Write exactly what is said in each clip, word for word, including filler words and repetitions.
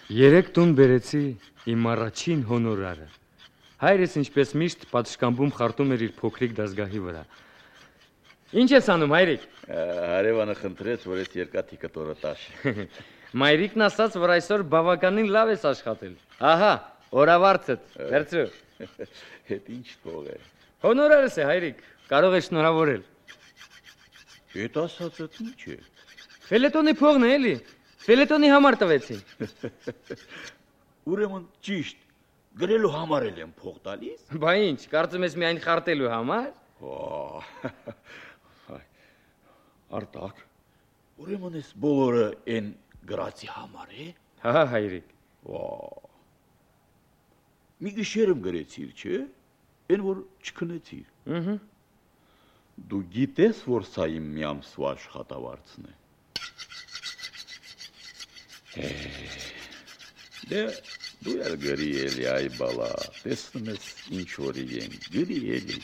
Երեք տուն բերեցի իմ առաջին հոնորարը։ Հայրս ինչպես միշտ պատշգամբում խարտում էր իր փոքրիկ դասգահի վրա։ Ինչ ես անում, հայրիկ։ Հարևանը խնդրեց, որ ես երկաթիկը տորը տաշ։ Մայրիկն ասաց, որ այսօր բավականին լավ ես աշխատել։ Ահա, օրավարձդ, վերցրու։ Հետ ինչ փող է։ Հոնորարս է, հայրիկ, կարող ես շնորհավորել։ Այդ ասածդ ինչ է։ Ֆելետոնի փողն է, էլի։ Ֆելետոնի համար տվեցին։ Ուրեմն ճիշտ, գրելու համար էլ եմ փող տալիս։ Բա ինչ, կարծում ես միայն խարտելու համար։ Արտակ, ուրեմն ես բոլորը են գրացի համար է։ Հա, հայրիկ։ Մի գիշերում գրեցիր, չէ՞, են որ չքնեցիր։ Ըհը։ Դու գիտես, որ սա իմ մի ամսվա աշխատավարձն է։ Դե դու ել գրի էլի, այ բալա, տեսնում ես ինչ որի են, գրի էլի։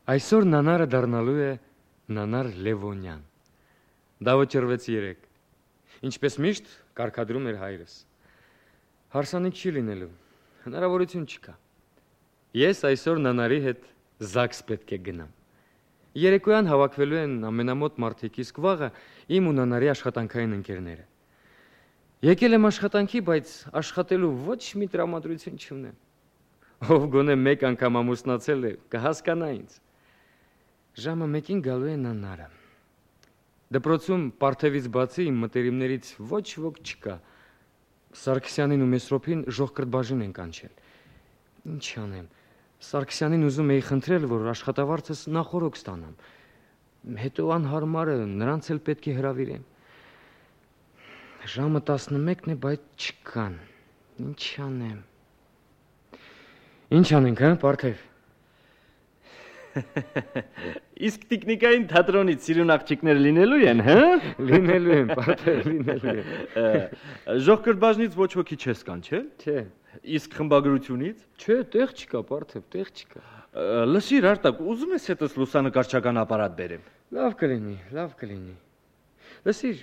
Այսօր նանարը դառնալու է Նանար Լևոնյան։ Դա վճռվեց երեք։ Ինչպես միշտ կարգադրում էր հայրս։ Հարսանիք չի լինելու, հնարավորություն չկա։ Ես այսօր Նանարի հետ Զաքս պետք է գնամ։ Երեկոյան հավաքվելու են ամենամոտ մարդիկ, իսկ վաղը իմ ու Նանարի աշխատանքային ընկերները։ Եկել եմ աշխատանքի, բայց աշխատելու ոչ մի տրամադրություն չունեմ։ Ով գոնե մեկ անգամ ամուսնացել է, կհասկանա ինձ։ Ժամը մեկին գալու է Նանարը։ Դպրոցում Պարթևից բացի իմ մտերիմներից ոչ ոք չկա։ Սարգսյանին ու Մեսրոպին ժողկրտբաժին են կանչել։ Ինչ անեմ, Սարգսյանին ուզում էի խնդրել, որ աշխատավարձս նախորոք ստանամ։ Հետո անհարմարը նրանց էլ պետք է հրավիրեմ։ Ժամը տասնմեկն է, բայց չկան։ Ինչ անեմ։ Ինչ անենք, հա, Պարթև։ Իսկ տիկնիկային թատրոնից սիրուն աղջիկներ լինելու են, հա? Լինելու են, Պարթև, լինելու են։ Ժողկրտբաժնից ոչ ոքի չես կանչել։ Չէ։ Իսկ խմբագրությունից։ Չէ, տեղ չկա, Պարթև, տեղ չկա։ Լսիր, Արտակ, ուզում ես հետս լուսանկարչական ապարատ բերեմ։ Լավ կլինի, լավ կլինի։ Լսիր,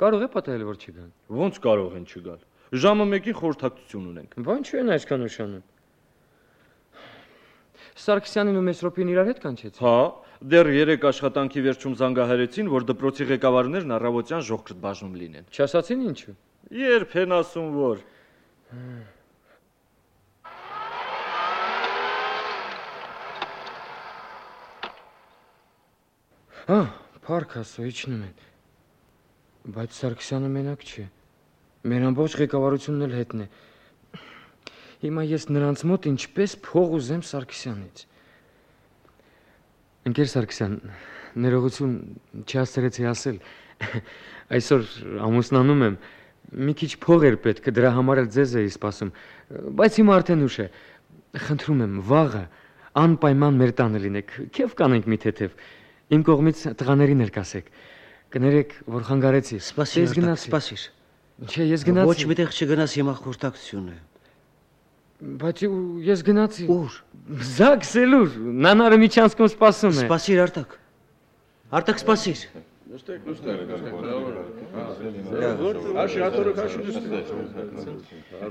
կարող է պատահել, որ չգան։ Ոնց կարող են չգալ։ Ժամը մեկին խորհրդակցություն ունենք։ Բան չեն այսքան ուշանում։ Սարգսյանին ու Մեսրոպին իրար հետ կանչեցին։ Հա, դեռ երեք աշխատանքի վերջում զանգահարեցին, որ դպրոցի ղեկավարներն առավոտյան ժողկրտբաժնում լինեն։ Չասացին ինչու։ Երբ են ասում, որ։ Հա, փառք Աստծո, իջնում են։ Բայց Սարգսյանը մենակ չէ։ Մեր ամբողջ ղեկավարությունն էլ հետն է։ Հիմա ես նրանց մոտ ինչպես փող ուզեմ Սարգսյանից։ Ընկեր Սարգսյան, ներողություն չհասցրեցի ասել։ Այսօր ամուսնանում եմ, մի քիչ փող էր պետք, դրա համար էլ ձեզ էի սպասում, բայց հիմա արդեն ուշ է։ Խնդրում եմ, վաղը անպայման մեր տանը լինեք, քեֆ կանենք մի թեթև։ Իմ կողմից տղաներին էլ կասեք։ Կներեք, որ խանգարեցի։ Սպասիր, սպասիր։ Չէ, ես գնացի։ Ոչ միտեղ չգնաս հիմա խորհրդակցություն է։ Բայց ես գնացի։ Ուր։ Զաքս էլուր, Նանարը միջանցքում սպասում է։ Սպասիր, Արտակ։ Արտակ, սպասիր։ Նստեք, նստեք։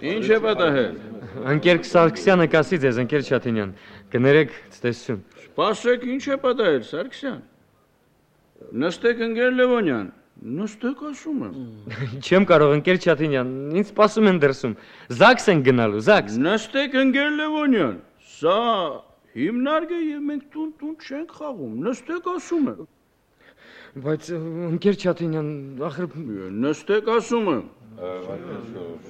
Ինչ է պատահել։ Ընկեր Սարգսյանը կասի ձեզ, ընկեր Շաթինյան, կներեք ցտեսություն։ Սպասեք, ինչ է պատահել, Սարգսյան։ Նստեք, ընկեր Լևոնյան։ Նստեք, ասում եմ։ Չեմ կարող, ընկեր Շաթինյան, ինձ սպասում են դրսում։ Զաքս են գնալու, Զաքս։ Նստեք, ընկեր Լևոնյան։ Սա հիմնարկ է եւ մենք տուն-տուն չենք խաղում։ Նստեք, ասում եմ։ Բայց ընկեր Շաթինյան, ախր նստեք, ասում եմ։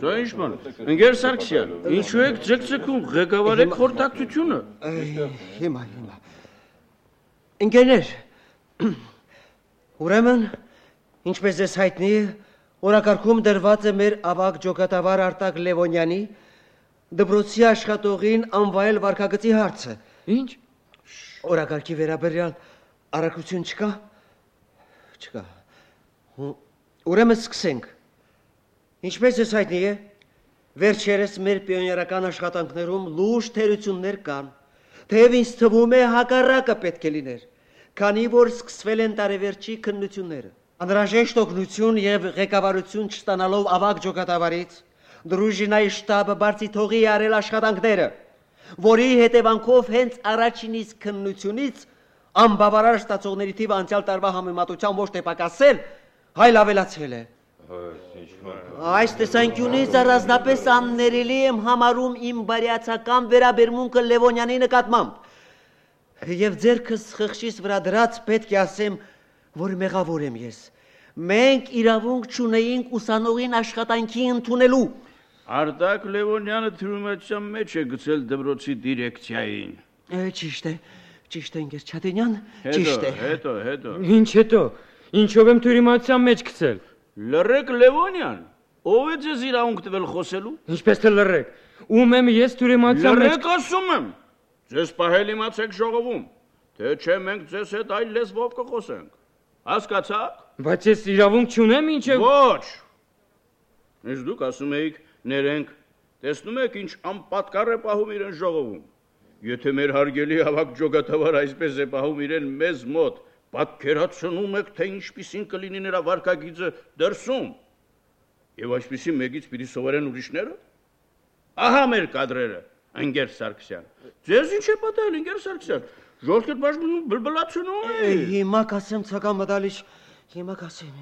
Սա ինչ բան։ Ընկեր Սարգսյան, ինչու եք ձգձգում, ղեկավարեք խորհրդակցությունը։ Հիմա, հիմա։ Ընկերներ, ուրեմն ինչպես ես հայտնի է, օրակարգում դրված է մեր ավագ ջոկատավար Արտակ Լևոնյանի դպրոցի աշխատողին անվայել վարքագծի հարցը։ Ինչ։ Օրակարգի վերաբերյալ առաքություն չկա։ Չկա։ Ուրեմն սկսենք։ Ինչպես ես հայտնի է, վերջերս մեր պիոներական աշխատանքներում լուրջ թերություններ կան։ Թեև ինձ թվում է հակառակը պետք է լիներ, քանի որ սկսվել են տարեվերջի քննությունները։ Անհրաժեշտ օգնություն եւ ղեկավարություն չստանալով ավագ ջոկատավարից Դրուժինայի շտաբը բարձի թողի արել աշխատանքները, որի հետևանքով հենց առաջինից քննությունից անբավարար ստացողների թիվը անցյալ տարվա համեմատությամբ ոչ թե պակասել, այլ ավելացել է։ Այս տեսանկյունից առանձնապես աններելի եմ համարում իմ բարյացակամ վերաբերմունքը Լևոնյանի նկատմամբ։ Եվ ձերքս խղճիս վրա դրած պետք է ասեմ, որ մեղավոր եմ ես։ Մենք իրավունք չունեինք ուսանողին աշխատանքի ընդունելու։ Արտակ Լևոնյանը թյուրիմացության մեջ է գցել դպրոցի դիրեկցիային։ Ճիշտ է, ճիշտ է, ընկեր Չատենյան, ճիշտ է։ Հետո, հետո։ Ինչ հետո։ Ինչով եմ թյուրիմացության մեջ գցել։ Լռեք Լևոնյան, ով է ձեզ իրավունք տվել խոսելու։ Ինչպես թե լռեք։ Ում եմ ես թյուրիմացության մեջ։ Լռեք ասում եմ։ Ձեզ պահել իմացեք ժողովում, թե չէ մենք ձեզ հետ այլ լեզվով կխոսենք։ Հասկացաք։ Բայց ես իրավունք չունեմ ինչ է։ Ոչ։ Իսկ դուք ասում եք ներենք, տեսնում եք ինչ անպատկառ է պահում իրեն ժողովում։ Եթե մեր հարգելի ավագ ջոկատավար այսպես է պահում իրեն մեզ մոտ, պատկերացնում եք, թե ինչպիսին կլինի նրա վարքագիծը դրսում։ Եվ այսպիսի մեկից պիտի սովորեն ուրիշները։ Ահա մեր կադրերը, ընկեր Սարգսյան։ Ձեզ ինչ է պատահել, ընկեր Սարգսյան։ Ժողովուրդ բաժնում բլբլացնում է։ Հիմա կասեմ ցական մտալիչ, հիմա կասեմ։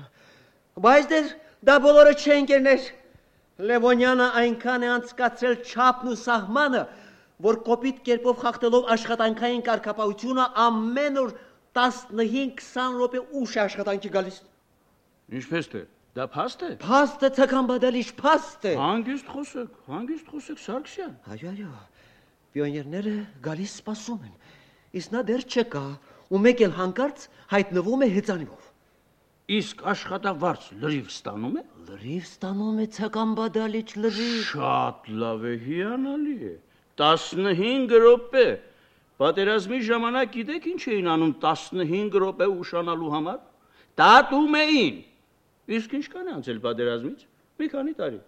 Բայց դեր դա բոլորը չէ, ընկերներ։ Լևոնյանը այնքան է անցկացրել չափն ու սահմանը, որ կոպիտ կերպով խախտելով աշխատանքային կարգապահությունը ամեն օր տասնհինգ-քսան րոպե ուշ է աշխատանքի գալիս։ Ինչպես թե, դա փաստ է։ Փաստ է, ցական բադալիչ, փաստ է։ Հանգիստ խոսեք, հանգիստ խոսեք Սարգսյան։ Այո, այո։ Պիոներները գալիս սպասում են։ Իսկ նա դեռ չկա, ու մեկ էլ հանկարծ հայտնվում է հեծանիվով։ Իսկ աշխատավարձ լրիվ ստանում է։ Լրիվ ստանում է ցական բադալիչ, լրիվ։ Շատ լավ է, հիանալի է։ տասնհինգ րոպե։ Պատերազմի ժամանակ գիտեք ինչ էին անում տասնհինգ րոպե ուշանալու համար։ Տատում էին։ Իսկ ինչքան է անցել պատերազմից։ Մի քանի տարի։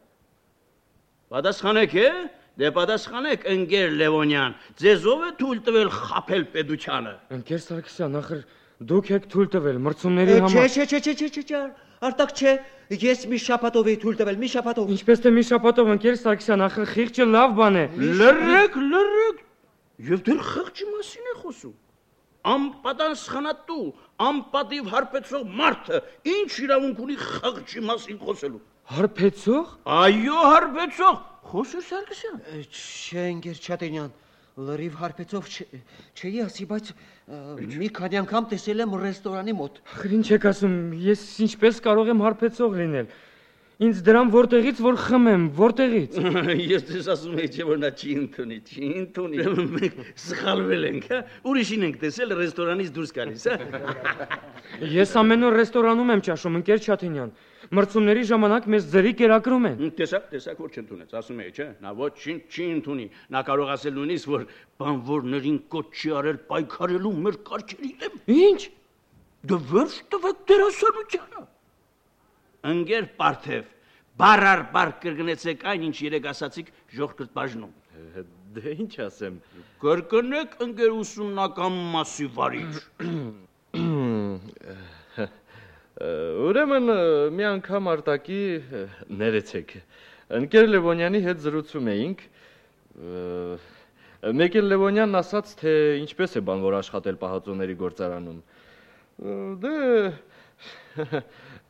Պատասխանեք է։ Դե պատասխանեք, ընկեր Լևոնյան, ձեզ ով է թույլ տվել խաբել պետությանը։ Ընկեր Սարգսյան, ախր դուք եք թույլ տվել մրցումների համար։ Չէ, չէ, չէ, չէ, չէ, չէ, արտակ չէ։ Ես մի շաբաթով էի թույլ տվել, մի շաբաթով։ Ինչպես թե մի շաբաթով, ընկեր Սարգսյան, ախր խիղճը լավ բան է։ Լռեք, լռեք։ Եվ դեռ խղճի մասին է խոսում։ Անպատասխանատու, անպատիվ հարբեցող մարդը ինչ իրավունք ունի խղճի մասին խոսելու։ Հարբեցող։ Այո, հարբեցող։ Խոսեր Սարգսյան։ Չէ, ընկեր Չատենյան, լրիվ հարբեցով չէի ասի, բայց մի քանի անգամ տեսել եմ ռեստորանի մոտ։ Ախր ինչ եք ասում, ես ինչպես կարող եմ հարբեցող լինել։ Ինձ դրամ որտեղից որ խմեմ, որտեղից։ Ես դες ասում եի, չէ որ նա չի ընդունի, չի ընդունի։ Մենք սխալվել ենք, հա։ Ուրիշին ենք տեսել ռեստորանից դուրս գալիս, հա։ Ես ամեն օր ռեստորանում եմ ճաշում, ընկեր Չաթենյան։ Մրցումների ժամանակ մեզ ձրի կերակրում են։ Տեսակ, տեսակ որ չընդունեց, ասում էի, չէ, նա ոչինչ չի ընդունի։ Նա կարող ասել նույնիսկ որ բանվորներին կոչ չի արել պայքարելու մեր կարգերի դեմ։ Ինչ։ Դե վերջ տվեք դերասանությանը։ Ընկեր Պարթև, բառ առ բառ կրկնեցեք այն, ինչ երեք ասացիք ժողովրդ բաժնում։ Դե ինչ ասեմ։ Կրկնեք ընկեր ուսումնական մասի վարիչ։ Ուրեմն մի անգամ Արտակի ներեցեք։ Ընկեր Լևոնյանի հետ զրուցում էինք։ Մեկ էլ Լևոնյանն ասաց, թե ինչպես է բանվոր աշխատել պահածոների գործարանում։ Դե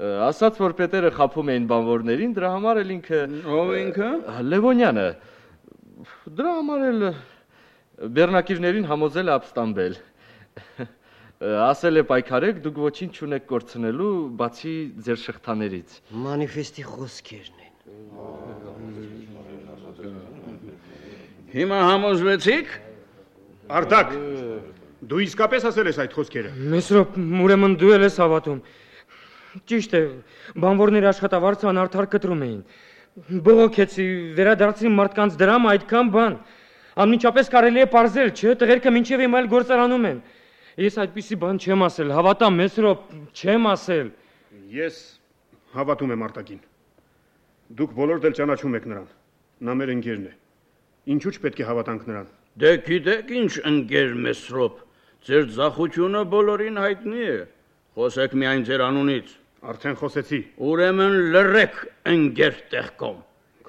ասաց, որ պետերը խաբում էին բանվորներին, դրա համար էլ ինքը։ Ով ինքը։ Լևոնյանը։ Դրա համար էլ բեռնակիրներին համոզել է ապստամբել։ Ասել է պայքարեք, դուք ոչինչ չունեք կորցնելու, բացի ձեր շղթաներից։ Մանիֆեստի խոսքերն են։ Հիմա համոզվեցիք։ Արտակ, դու իսկապես ասել ես այդ խոսքերը։ Մեսրոպ, ուրեմն դու էլ ես հավատում։ Ճիշտ է, բանվորների աշխատավարձը անարդար կտրում էին։ Բողոքեցի, վերադարձրի մարդկանց դրամ այդքան բան։ Անմիջապես կարելի է պարզել, չէ, տղերքը մինչև հիմա էլ գործարանում են։ Ես այդպիսի բան չեմ ասել, հավատամ, Մեսրոպ, չեմ ասել։ Ես հավատում եմ Արտակին։ Դուք բոլորդ էլ ճանաչում եք նրան։ Նա մեր ընկերն է։ Ինչու՞ չպետք է հավատանք նրան։ Դե գիտեք ինչ ընկեր Մեսրոպ, ձեր ձախությունը բոլորին հայտնի է, խոսեք միայն ձեր անունից։ Արդեն խոսեցի։ Ուրեմն լռեք ընկեր Տեխկոմ։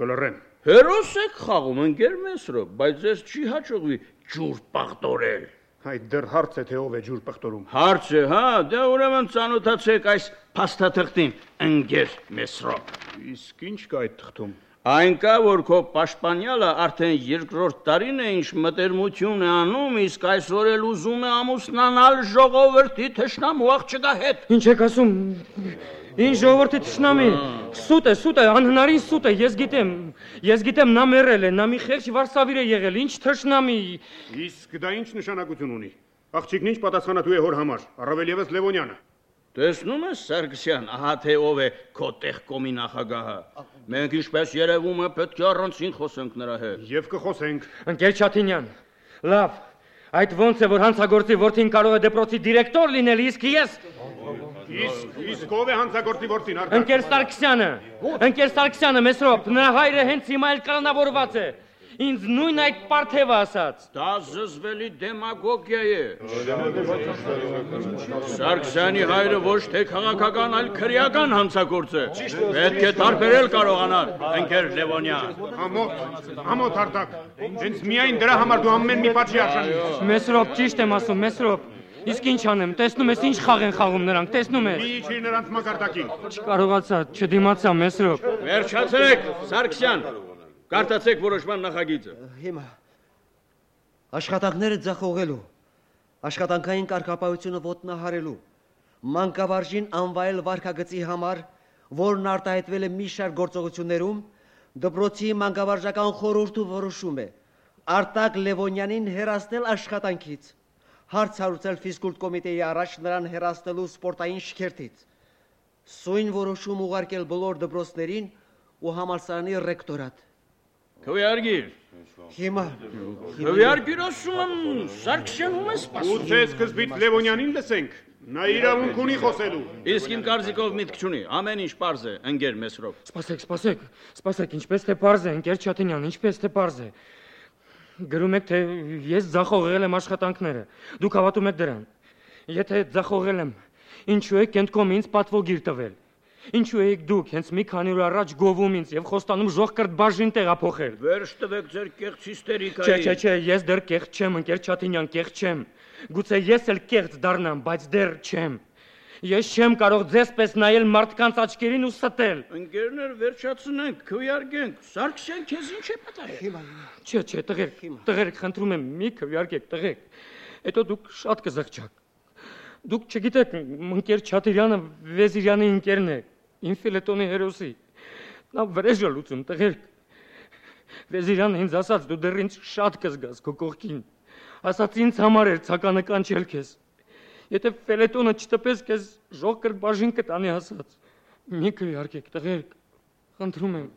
Կլռեմ։ Հերոս եք խաղում ընկեր Մեսրոպ, բայց ձեզ չի հաջողվի ջուր պաղտորել։ Այդ դեռ հարց է, թե ով է ջուր պղտորում։ Հարց է, հա, դե ուրեմն ծանոթացեք այս փաստաթղթին, ընկեր Մեսրոպ։ Իսկ ինչ կա այդ թղթում։ Այն կա, որ քո պաշտպանյալը արդեն երկրորդ տարին է ինչ մտերմություն է անում, իսկ այսօր էլ ուզում է ամուսնանալ ժողովրդի թշնամու աղջկա հետ։ Ինչ եք ասում։ Ինչ ժողովրդի թշնամի։ Սուտ է, սուտ է, անհնարին սուտ է, ես գիտեմ։ Ես գիտեմ նա մեռել է, նա մի խեղճ վարսավիր է եղել, ինչ թշնամի։ Իսկ դա ինչ նշանակություն ունի։ Աղջիկն ինչ պատասխանատու է հոր համար, առավել եւս Լևոնյանը։ Տեսնում ես Սարգսյան, ահա թե ով է քո Տեխկոմի նախագահը։ Մենք ինչպես երևում է պետք է առանցին խոսենք նրա հետ։ Եվ կխոսենք։ Ընկեր Չաթինյան, լավ, այդ ոնց է որ հանցագործի որդին կարող է դպրոցի դիրեկտոր լինել, իսկ ես։ Իսկ իսկ ով է հանցագործի որդին, Արտակ։ Ընկեր Սարգսյանը, ընկեր Սարգսյանը, Մեսրոպ, նրա հայրը հենց հիմա էլ կալանավորված է։ Ինձ նույն այդ պարթևը ասաց։ Դա զզվելի դեմագոգիա է։ Սարգսյանի հայրը ոչ թե քաղաքական, այլ քրեական հանցագործ է։ Պետք է տարբերել կարողանալ, ընկեր Լևոնյան։ Ամոթ, ամոթ Արտակ։ Հենց միայն դրա համար դու ամեն մի պատժի արժանի ես։ Մեսրոպ, ճիշտ եմ ասում, Մեսրոպ։ Իսկ ինչ անեմ, տեսնում ես ինչ խաղ են խաղում նրանք, տեսնում ես։ Մի իջիր նրանց մակարդակին։ Չկարողացա, չդիմացա, Մեսրոպ։ Վերջացրեք, Սարգսյան։ Կարտացեք որոշման նախագիծը։ Հիմա աշխատանքները ձախողելու, աշխատանքային կարգապահությունը ոտնահարելու, մանկավարժին անվայել վարքագծի համար, որն արտահայտվել է մի շարք գործողություններում, դպրոցի մանկավարժական խորհուրդը որոշում է Արտակ Լևոնյանին հեռացնել աշխատանքից, հարց հարուցել ֆիզկուլտ կոմիտեի առաջ նրան հեռացնելու սպորտային շքերթից, սույն որոշում ուղարկել բոլոր դպրոցներին ու համալսարանի ռեկտորատ։ Քվեարկիր։ Հիմա Քվեարկիր ասում եմ, Սարգսյան ում է սպասում։ Ուծե սկզբից Լևոնյանին լսենք։ Նա իրավունք ունի խոսելու։ Իսկ իմ կարծիքով միտք չունի, ամեն ինչ պարզ է, ընկեր Մեսրոպ։ Սպասեք, սպասեք, սպասեք, ինչպես թե պարզ է, ընկեր Չաթինյան, ինչպես թե պարզ է։ Գրում եք, թե ես ձախողել եմ աշխատանքները։ Դուք հավատում եք դրան։ Եթե ձախողել եմ, ինչու եք Կենտկոմ ինձ պատվոգիր տվել։ Ինչու եք դուք հենց մի քանի օր առաջ գովում ինձ եւ խոստանում ժողկրտ բաժին տեղափոխել։ Վերջ տվեք ձեր կեղծ հիստերիկայի։ Չէ, չէ, չէ, ես դեռ կեղծ չեմ, ընկեր Չաթինյան, կեղծ չեմ։ Գուցե ես էլ կեղծ դառնամ, բայց դեռ չեմ։ Ես չեմ կարող ձեզ պես նայել մարդկանց աչքերին ու ստել։ Ընկերներ, վերջացնենք, քվեարկենք։ Սարգսյան, քեզ ինչ է պատահել։ Չէ, չէ, տղերք, տղերք, խնդրում եմ, մի քվեարկեք, տղերք։ Հետո դուք շատ կզղջաք։ Դուք չգիտեք, ընկեր Չաթիրյանը Վեզիրյանի ընկերն է, ինֆիլետոնի հերոսի։ Նա վրեժ է լուծում, տղերք։ Վեզիրյանը ինձ ասաց, դու դեռ ինձ շատ կզգաս քո կողքին։ Ասաց ինձ համար էր ցականը կանչել քեզ։ Եթե ֆելետոնը չտպես քեզ ժողկրտ բաժին կտանի ասաց։ Մի քվեարկեք, տղերք, խնդրում եմ։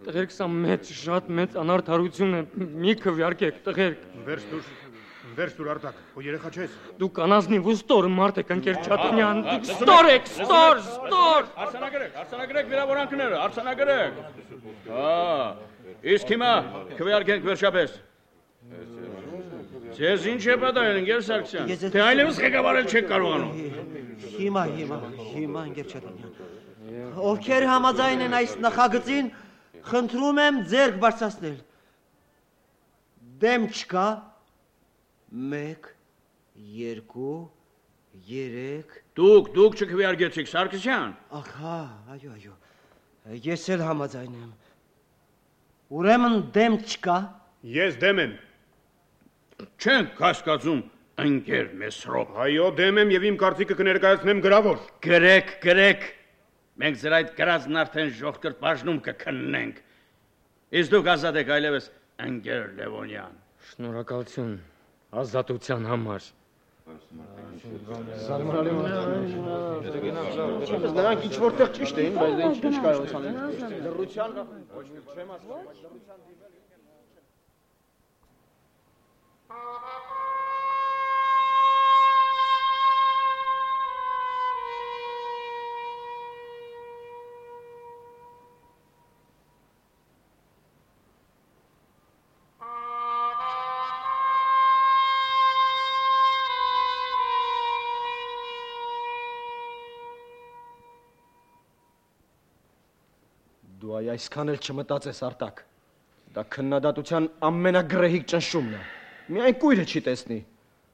Տղերք, սա մեծ, շատ մեծ անարդարություն է։ Մի քվեարկեք, տղերք։ Վերջ դուր, վերջ դուր Արտակ, քո երեխա չես։ Դուք անազնիվ ու ստոր մարդ եք, ընկեր Չաթինյան, դուք ստոր եք, ստոր, ստոր։ Արցանագրեք, արցանագրեք վիրավորանքները, արցանագրեք։ Հա, իսկ հիմա քվեարկենք վերջապես։ Ձեզ ինչ է պատահել, ընկեր Սարգսյան, թե այլևս ղեկավարել չեք կարողանում։ Հիմա, հիմա, հիմա ընկեր Չաթինյան։ Ովքեր համաձայն են այս նախագծին, խնդրում եմ ձեռք բարձրացնել։ Դեմ չկա։ Մեկ, երկու, երեք։ Դուք, դուք չքվեարկեցիք, Սարգսյան։ Ահա, այո, այո։ Ես էլ համաձայն եմ։ Ուրեմն դեմ չկա։ Ես դեմ եմ։ Չենք հասկացում, ընկեր Մեսրոպ։ Այո, դեմ եմ եւ իմ կարծիքը կներկայացնեմ գրավոր։ Գրեք, գրեք։ Մենք ձեր այդ գրածն արդեն ժողկրտ բաժնում կքննենք։ Իսկ դուք ազատ եք այլևս, ընկեր Լևոնյան։ Շնորհակալություն ազատության համար։ Նրանք ինչ որտեղ ճիշտ էին, բայց դե ինչ կարողացան լռության ոչ մի չեմ ասում, բայց լռության դիմել այ այսքան էլ չմտածես Արտակ։ Դա քննադատության ամենագրեհիկ ճնշումն է։ Միայն կույրը չի տեսնի։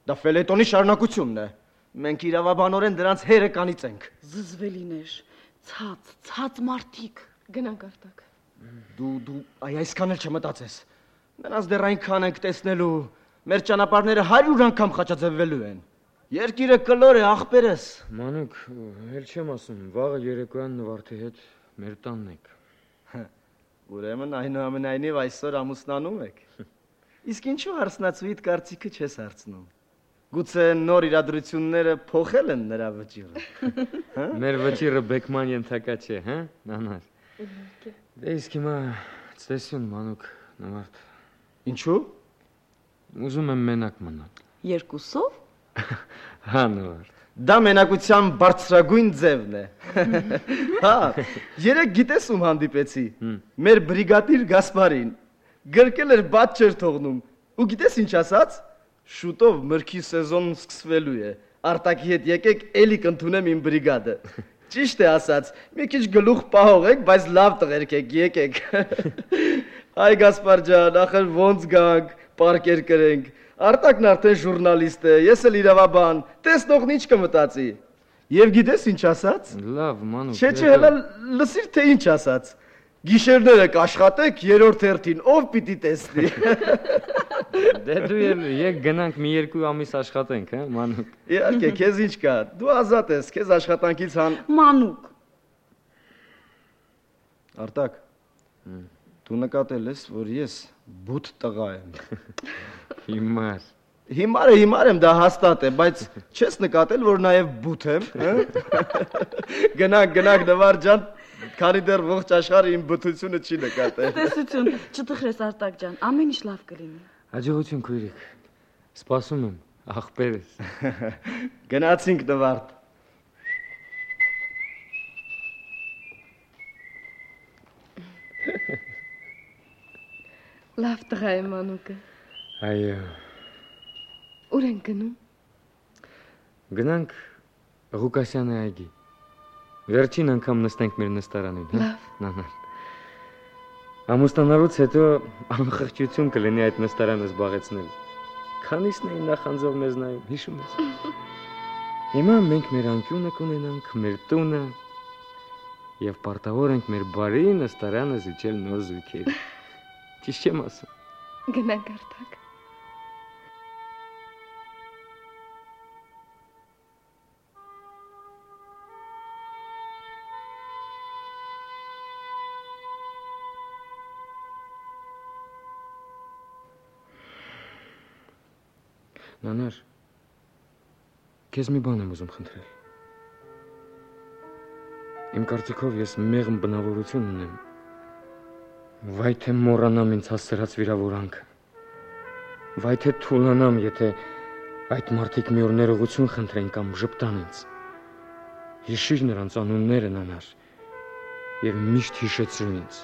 Դա ֆելետոնի շարունակությունն է։ Մենք իրավաբանորեն դրանց հերը կանիծենք։ Զզվելիներ, ցած, ցած մարդիկ, գնանք Արտակ։ Դու դու այ այսքան էլ չմտածես։ Նրանց դեռ այնքան ենք տեսնելու, մեր ճանապարհները հարյուր անգամ խաչաձևվելու են։ Երկիրը կլոր է, ախպերս։ Մանուկ, էլ չեմ ասում, վաղը երեկոյան Նվարդի հետ մեր տանն եք։ Ուրեմն այնուամենայնիվ այսօր ամուսնանում եք։ Իսկ ինչու հարցնացուիդ կարծիքը չես հարցնում։ Գուցե նոր իրադրությունները փոխել են նրա վճիռը։ Մեր վճիռը բեկման ենթակա չէ, հա՞, Նանար։ Դե իսկ հիմա ցտեսություն, Մանուկ, Նվարդ։ Ինչու։ Ուզում եմ մենակ մնալ։ Երկուսով։ Հա, Նվարդ։ Դա մենակության բարձրագույն ձևն է։ Հա, երեք գիտես ում հանդիպեցի։ Մեր բրիգադիր Գասպարին։ Գրկել էր բաց չէր թողնում։ Ու գիտես ինչ ասաց։ Շուտով մրգի սեզոնն սկսվելու է։ Արտակի հետ եկեք էլի կընդունեմ իմ բրիգադը։ Ճիշտ է ասաց։ Մի քիչ գլուխ պահողեք, բայց լավ տղերք եք, եկեք։ Այ Գասպար ջան, ախր ոնց գանք, պարկեր կրենք։ Արտակն արդեն ժուրնալիստ է, ես էլ իրավաբան, տեսնողն ինչ կմտածի։ Եվ գիտես ինչ ասաց։ Լավ, Մանուկ։ Չէ, չէ, հələ լսիր թե ինչ ասաց։ Գիշերները կաշխատեք, երրորդ հերթին ով պիտի տեսնի։ Դե դու էլ եկ գնանք մի երկու ամիս աշխատենք, հա, Մանուկ։ Իհարկե, քեզ ինչ կա։ Դու ազատ ես, քեզ աշխատանքից հան։ Մանուկ։ Արտակ։ Դու նկատել ես, որ ես բութ տղա եմ։ Հիմար։ Հիմար է, հիմար եմ, դա հաստատ է, բայց չես նկատել, որ նաև բութ եմ, հա։ Գնանք, գնանք Նվար ջան, քանի դեռ ողջ աշխարհը իմ բթությունը չի նկատել։ Տեսություն, չտխրես Արտակ ջան, ամեն ինչ լավ կլինի։ Հաջողություն քույրիկ։ Սպասում եմ, ախպերս։ Գնացինք Նվարդ։ Լավ տղա է Մանուկը։ Այո։ Ուր են գնում։ Գնանք Ղուկասյանի այգի։ Վերջին անգամ նստենք մեր նստարանին, հա։ Լավ։ Նանար։ Ամուսնանալուց հետո անխղճություն կլինի այդ նստարանը զբաղեցնել։ Քանիսն էին նախանձով մեզ նայում, հիշում ես։ Հիմա մենք մեր անկյունը կունենանք, մեր տունը եւ պարտավոր ենք մեր բարի նստարանը զիջել նոր զույգերի։ Ճիշտ չեմ ասում։ Գնանք Արտակ։ Նանար, քեզ մի բան եմ ուզում խնդրել։ Իմ կարծիքով ես մեղմ բնավորություն ունեմ։ Վայ թե մոռանամ ինձ հասցրած վիրավորանքը։ Վայ թե թուլանամ, եթե այդ մարդիկ մի օր ներողություն խնդրեն կամ ժպտան ինձ։ Հիշիր նրանց անունները, Նանար, եւ միշտ հիշեցրու ինձ։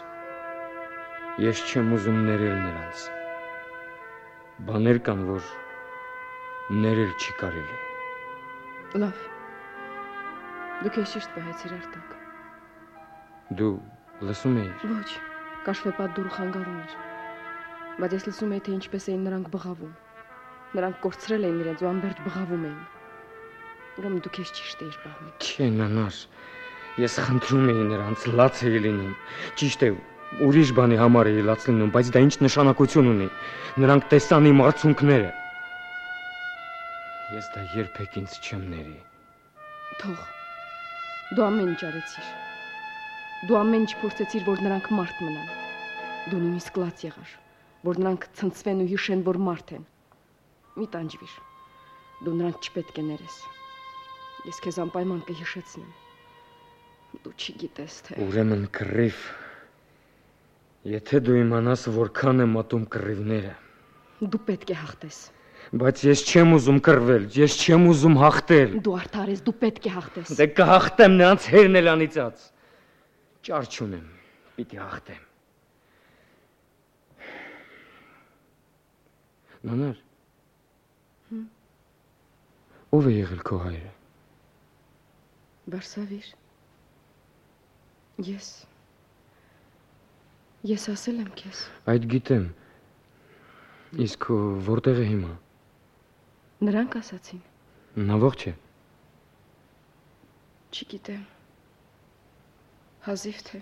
Ես չեմ ուզում ներել նրանց։ Բաներ կան, որ ներել չի կարելի։ Լավ։ Դու քեզ ճիշտ պահեցիր Արտակ։ Դու լսում էիր։ Ոչ, կաշվեպատ դուրը խանգարում էր։ Բայց ես լսում էի, թե ինչպես էին նրանք բղավում։ Նրանք կորցրել էին իրենց ու անբերտ բղավում էին։ Ուրեմն դու քեզ ճիշտ էիր պահում։ Չէ, Նանար, ես խնդրում էի նրանց, լաց էի լինում։ Ճիշտ է, ուրիշ բանի համար էի լաց լինում, բայց դա ինչ նշանակություն ունի։ Նրանք տեսան իմ արցունքները։ Ես դա երբեք ինձ չեմ ների։ Թող։ Դու ամեն ինչ արեցիր։ Դու ամեն ինչ փորձեցիր, որ նրանք մարդ մնան։ Դու նույնիսկ լաց եղար, որ նրանք ցնցվեն ու հիշեն, որ մարդ են։ Մի տանջվիր։ Դու նրանց չպետք է ներես։ Ես քեզ անպայման կհիշեցնեմ։ Դու չգիտես թե։ Ուրեմն կռիվ։ Եթե դու իմանաս, որքան եմ ատում կռիվները։ Դու պետք է հաղթես։ Բայց ես չեմ ուզում կռվել, ես չեմ ուզում հաղթել։ Դու արդար ես, դու պետք է հաղթես։ Դե կհաղթեմ, նրանց հերն էլ անիծած։ Ճար չունեմ, պիտի հաղթեմ։ Նանար։ Ո՞վ է եղել քո հայրը։ Բարսավիր։ Ես Ես ասել եմ քեզ։ Այդ գիտեմ։ Իսկ որտեղ է հիմա։ Նրանք ասացին։ Նա ողջ է։ Չգիտեմ։ Հազիվ թե։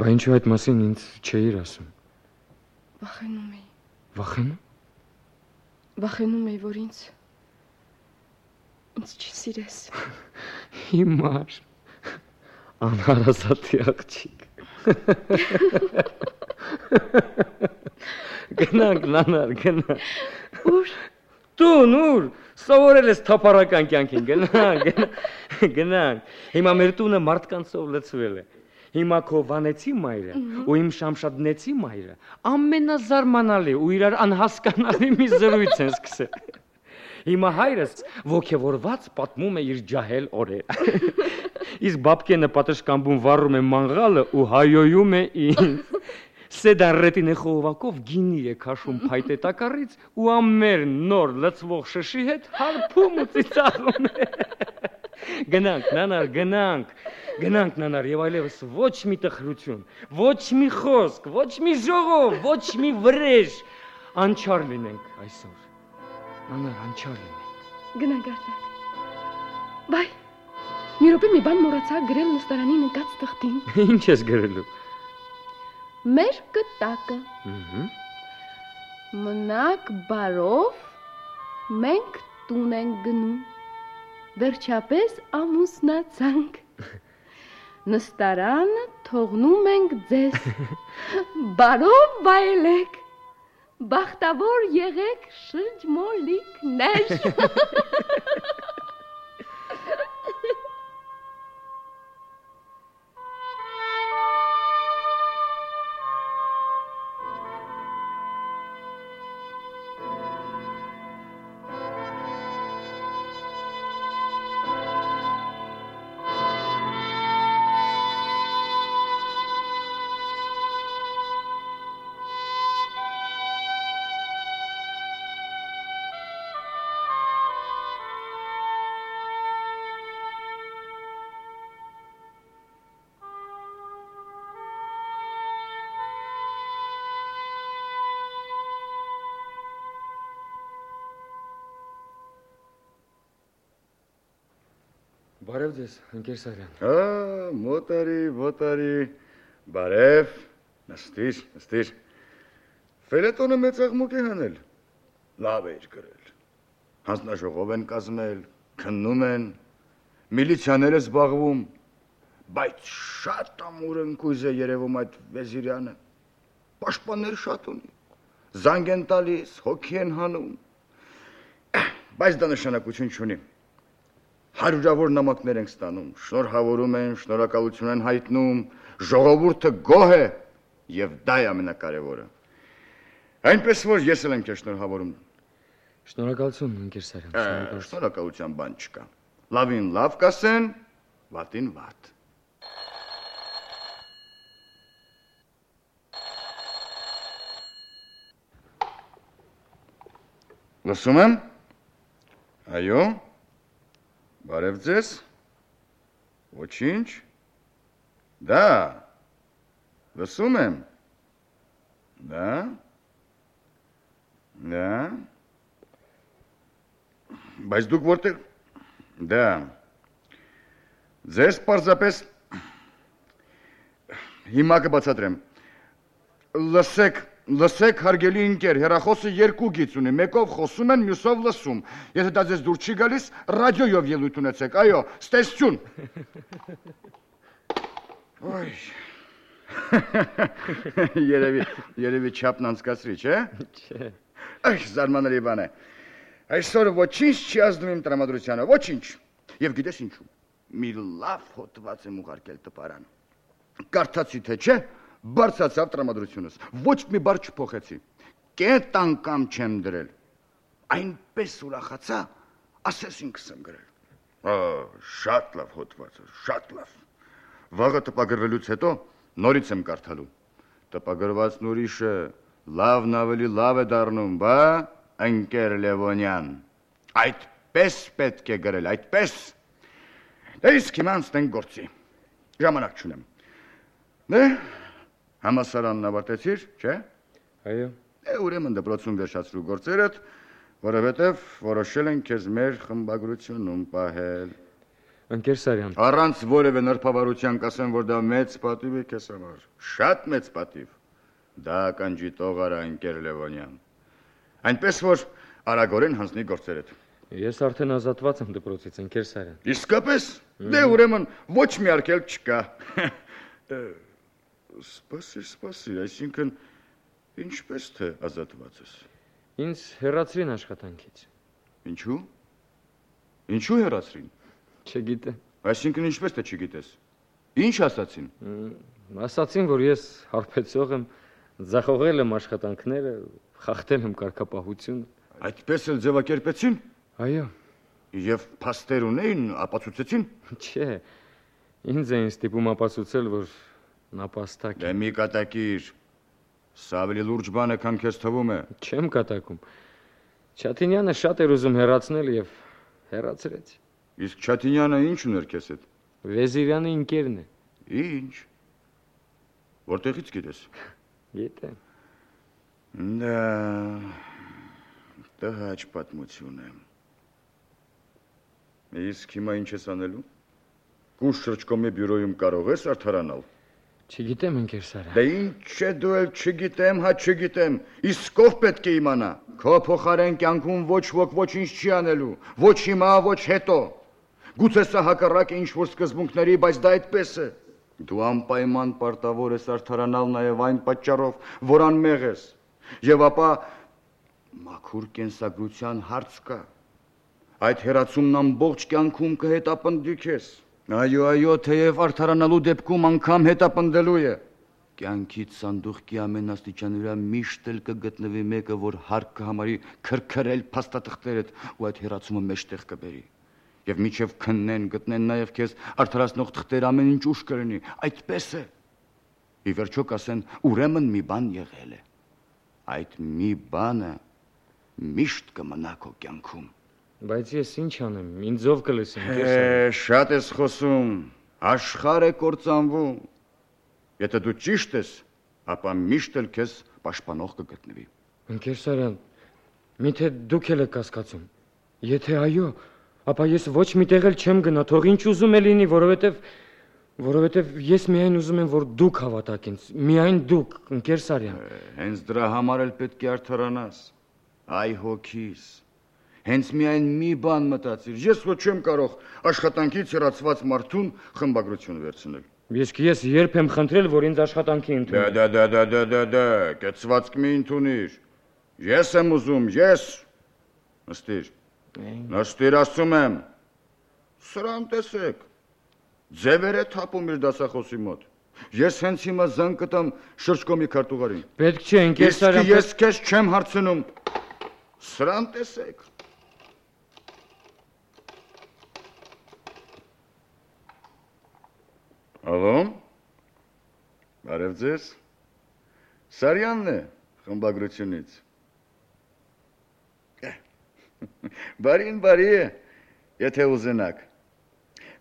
Բա ինչու այդ մասին ինձ չէիր ասում։ Վախենում էի։ Վախենում։ Վախենում էի, որ ինձ ինձ չսիրես։ Հիմար։ Անհարազատի աղջիկ։ Գնանք, նանար, գնանք։ Ուր։ Տուն, ուր։ Սովորել ես թափառական կյանքին, գնանք, գնանք։ Հիմա մեր տունը մարդկանցով լցվել է։ Հիմա քո Վանեցի մայրը ու իմ Շամշադնեցի մայրը ամենազարմանալի ու իրար անհասկանալի մի զրույց են սկսել։ Հիմա հայրս ոգևորված պատմում է իր ջահել օրերը։ Իսկ բաբկենը պատշգամբում վառում է մանգալը ու հայոյում է ինձ։ Սեդարրետինե խողովակով գինի է քաշում փայտե տակառից ու ամեր նոր լցվող շշի հետ հարբում ու ծիծաղում է։ Գնանք, նանար, գնանք։ Գնանք, նանար, եւ այլևս ոչ մի տխրություն, ոչ մի խոսք, ոչ մի ժողով, ոչ մի վրեժ։ Անչար լինենք այսօր։ Նանար, անչար լինենք։ Գնանք արտակ։ Բայ, մի րոպե մի բան մոռացա գրել նստարանին ընկած թղթին։ Ինչ ես գրելու։ Մեր կտակը։ Ահա։ Մնաք բարով, մենք տուն ենք գնում։ Վերջապես ամուսնացանք։ Նստարանը թողնում ենք ձեզ։ Բարով վայելեք։ Բախտավոր եղեք շրջմոլիկներ։ Բարև ձեզ, ընկեր Սարյան։ Ա, մոտարի, մոտարի, բարև, նստիր, նստիր։ Ֆելետոնը մեծ աղմուկ է հանել, լավ էր գրել։ Հանձնաժողով են կազմել, քննում են, միլիցիաներ է զբաղվում, բայց շատ ամուր ընկույզ է երևում այդ Վեզիրյանը, պաշտպաններ շատ ունի, զանգ են տալիս, հոգի են հանում, բայց դա նշանակություն չունի։ Հարյուրավոր նամակներ ենք ստանում, շնորհավորում են, շնորհակալություն են հայտնում, ժողովուրդը գոհ է եւ դա է ամենակարևորը։ Այնպես որ ես էլ եմ քեզ շնորհավորում։ Շնորհակալություն, ընկեր Սարյան, շնորհակալության բան չկա։ Լավին լավ կասեն, վատին վատ։ Լսում եմ։ Այո։ Բարև ձեզ, ոչինչ, դա, լսում եմ, դա, դա, բայց դուք որտեղ, դա, ձեզ պարզապես, հիմա կբացատրեմ, լսեք, Լսեք, հարգելի ընկեր, հեռախոսը երկու գիծ ունի, մեկով խոսում են, մյուսով լսում։ Եթե դա ձեզ դուր չի գալիս, ռադիոյով ելույթ ունեցեք, այո, ստեսություն։ Ոյ։ Երևի, երևի չափն անցկացրի, չէ՞։ Չէ։ Այ, զարմանալի բան է։ Այսօր ոչինչ չի ազդում իմ տրամադրությանը, ոչինչ։ Եվ գիտես ինչու։ Մի լավ հոդված եմ ուղարկել տպարան։ Կարդացի թե չէ։ Բարձացավ տրամադրությունս, ոչ մի բար չփոխեցի, կետ անգամ չեմ դրել, այնպես ուրախացա, ասես ինքս եմ գրել, շատ լավ հոդված, շատ լավ, վաղը տպագրվելուց հետո նորից եմ կարդալու, տպագրվածն ուրիշը, լավն ավելի լավ է դառնում, բա, ընկեր Լևոնյան, այդպես պետք է գրել, այդպես, դե իսկ հիմա անցնենք գործի, ժամանակ չունեմ, դե, Համասարանն ավարտեցիր, չէ՞։ Այո։ Է ուրեմն դպրոցում վերջացրու գործերդ, որովհետև որոշել են քեզ մեր խմբագրությունում պահել։ Ընկեր Սարյան։ Առանց որևէ նրբավարության կասեմ, որ դա մեծ պատիվ է քեզ համար։ Շատ մեծ պատիվ։ Դա կանջի տող արա, ընկեր Լևոնյան։ Այնպես որ արագորեն հանձնի գործերդ։ Ես արդեն ազատված եմ դպրոցից, ընկեր Սարյան։ Իսկապես։ Դե ուրեմն ոչ մի արգել չկա։ Սպասիր, սպասիր, այսինքն ինչպես թե ազատված ես։ Ինձ հեռացրին աշխատանքից։ Ինչու՞։ Ինչու հեռացրին։ Չգիտեմ։ Այսինքն ինչպես թե չգիտես։ Ինչ ասացին։ Ասացին, որ ես հարբեցող եմ, ձախողել եմ աշխատանքները, խախտել եմ կարգապահությունը։ Այդպես էլ ձևակերպեցին։ Այո։ Եվ փաստեր ունեին, ապացուցեցին։ Չէ։ Ինձ էին ստիպում ապացուցել, որ նապաստակ է։ Դե մի կատակիր։ Սա ավելի լուրջ բան է, քան քեզ թվում է։ Չեմ կատակում։ Չաթինյանը շատ էր ուզում հեռացնել եւ հեռացրեց։ Իսկ Չաթինյանը ինչ ուներ քեզ հետ։ Վեզիրյանի ընկերն է։ Ինչ։ Որտեղից գիտես։ Գիտեմ։ Դա տհաճ պատմություն է։ Իսկ հիմա ինչ ես անելու։ Կուշ շրջկոմի բյուրոյում կարող ես արդարանալ։ Չգիտեմ, ընկեր Սարյան։ Դե ինչ է դու էլ չգիտեմ, հա չգիտեմ։ Իսկ ով պետք է իմանա։ Քո փոխարեն կյանքում ոչ ոք ոչինչ չի անելու, ոչ հիմա, ոչ հետո։ Գուցե սա հակառակ է ինչ-որ սկզբունքների, բայց դա այդպես է։ Դու անպայման պարտավոր ես արդարանալ նաև այն պատճառով, որ անմեղ ես։ Եվ ապա մաքուր կենսագրության հարց կա։ Այդ հեռացումն ամբողջ կյանքում կհետապնդի քեզ։ Այո, այո, թեև արդարանալու դեպքում անգամ հետապնդելու է։ Կյանքից սանդուղքի ամենաստիճան վրա միշտ էլ կգտնվի մեկը, որ հարկ կհամարի քրքրել փաստաթղթերդ ու այդ հեռացումը մեջտեղ կբերի։ Եվ միջև քննեն, գտնեն նաև քեզ արդարացնող թղթեր ամեն ինչ ուշ կլինի։ Այդպես է։ Ի վերջո կասեն, ուրեմն մի բան եղել է։ Այդ մի բանը միշտ կմնա քո կյանքում։ Բայց ես ինչ անեմ, ինձ ով կլսի, ընկեր Սարյան։ Շատ ես խոսում, աշխարհ է կործանվում։ Եթե դու ճիշտ ես, ապա միշտ էլ քեզ պաշտպանող կգտնվի։ Ընկեր Սարյան, միթե դուք եք կասկածում։ Եթե այո, ապա ես ոչ միտեղ էլ չեմ գնա, թող ինչ ուզում է լինի, որովհետև որովհետև ես միայն ուզում եմ, որ դուք հավատաք ինձ, միայն դուք, ընկեր Սարյան։ Հենց դրա համար էլ պետք է արդարանաս։ Այ հոգիս։ Հենց միայն մի բան մտածիր, ես ոչ չեմ կարող աշխատանքից հեռացված մարդուն խմբագրություն վերցնել։ Իսկ ես երբ եմ խնդրել, որ ինձ աշխատանքի ընդունեն։ Դա դա դա դա դա դա, կեցվածք մի ընդունիր։ Ես եմ ուզում, ես։ Նստիր։ Նստիր ասում եմ։ Սրան տեսեք։ Ձևեր է թափում իր դասախոսի մոտ։ Ես հենց հիմա զանգ կտամ շրջկոմի քարտուղարին։ Պետք չէ, ընկեր Սարյան։ Իսկ ես քեզ չեմ հարցնում։ Սրան տեսեք։ Ալո։ Բարև ձեզ։ Սարյանն է խմբագրությունից։ Բարին բարի է, եթե ուզենաք։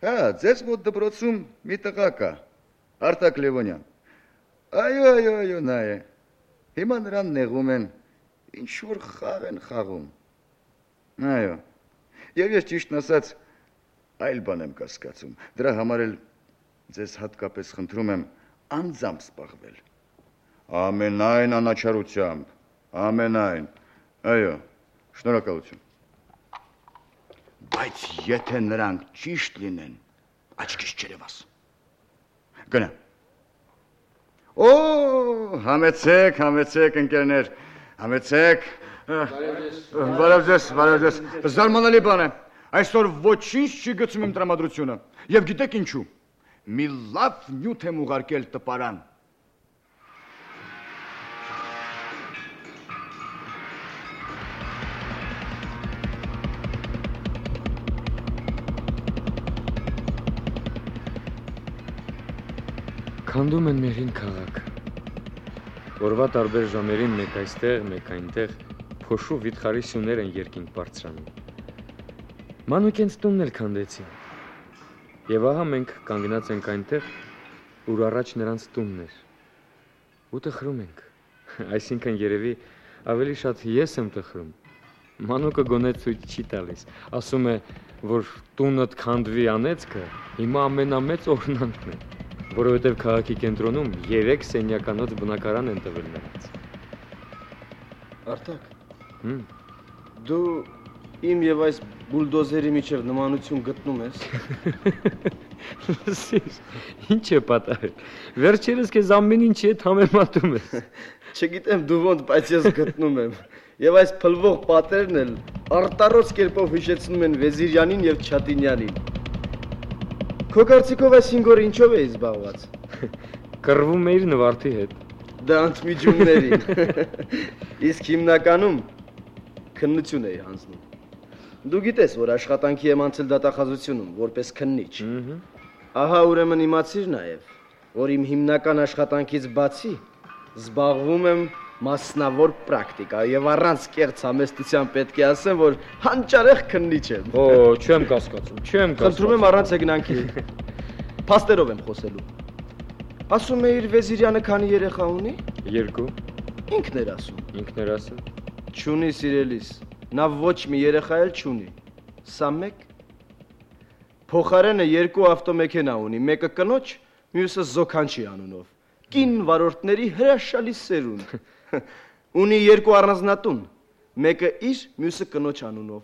Հա, ձեզ մոտ դպրոցում մի տղա կա, Արտակ Լևոնյան։ Այո, այո, այո, նա է։ Հիմա նրան նեղում են, ինչ-որ խաղ են խաղում։ Այո, և ես ճիշտն ասած, այլ բան եմ կասկածում, դրա համար էլ ձեզ հատկապես խնդրում եմ անձամբ սպաղվել։ Ամենայն անաչարությամբ, ամենայն, այո, շնորհակալություն։ Բայց եթե նրանք ճիշտ լինեն, աչքիս չերևաս։ Գնա։ Օ, համեցեք, համեցեք ընկերներ, համեցեք։ Բարև ձեզ, բարև ձեզ։ Զարմանալի բան է։ Այսօր ոչինչ չի գցում իմ տրամադրությունը։ Եվ գիտեք ինչու։ Մի լավ նյութ եմ ուղարկել տպարան։ Քանդում են մերին քաղաք։ Օրվա տարբեր ժամերին մեկ այստեղ, մեկ այնտեղ փոշու վիթխարի սյուներ են երկինք բարձրանում։ Մանուկենց տունն էլ քանդեցին։ Եվ ահա մենք կանգնած ենք այնտեղ, ուր առաջ նրանց տունն էր։ ու տխրում ենք։ Այսինքն երևի ավելի շատ ես եմ տխրում։ Մանուկը գոնե ցույց չի տալիս, ասում է, որ տունդ քանդվի անեծքը հիմա ամենամեծ օրհնանքն է, որովհետև քաղաքի կենտրոնում երեք սենյականոց բնակարան են տվել նրանց։ Արտակ։ Հմ։ Դու իմ եւ այս բուլդոզերի միջև նմանություն գտնում ես։ Լսիր, ինչ է պատահել։ Վերջերս քեզ ամեն ինչի հետ համեմատում ես։ Չգիտեմ դու ոնց, բայց ես գտնում եմ։ Եվ այս փլվող պատերն էլ արտառոց կերպով հիշեցնում են Վեզիրյանին եւ Չատինյանին։ Քո կարծիքով այս հինգ օր ինչով էի զբաղված։ Կռվում էիր նվարդի հետ։ Դա ընդմիջումներին։ Իսկ հիմնականում քննություն էի հանձնում։ Դու գիտես, որ աշխատանքի եմ անցել դատախազությունում որպես քննիչ։ Ահա ուրեմն իմացիր նաև, որ իմ հիմնական աշխատանքից բացի զբաղվում եմ մասնավոր պրակտիկա եւ առանց կեղծ համեստության պետք է ասեմ, որ հանճարեղ քննիչ եմ։ Օ, չեմ կասկածում, չեմ կասկածում։ Խնդրում եմ առանց եկնանքի։ Փաստերով եմ խոսելու։ Ասում է իր Վեզիրյանը քանի երեխա ունի։ Երկու։ Ինքն էր ասում։ Ինքն էր ասում։ Չունի սիրելիս։ Նա ոչ մի երեխա էլ չունի։ Սա մեկ։ Փոխարենը երկու ավտոմեքենա ունի, մեկը կնոջ, մյուսը Զոքանչի անունով։ Կին վարորդների հրաշալի սերունդ։ Ունի երկու առանձնատուն, մեկը իր, մյուսը կնոջ անունով։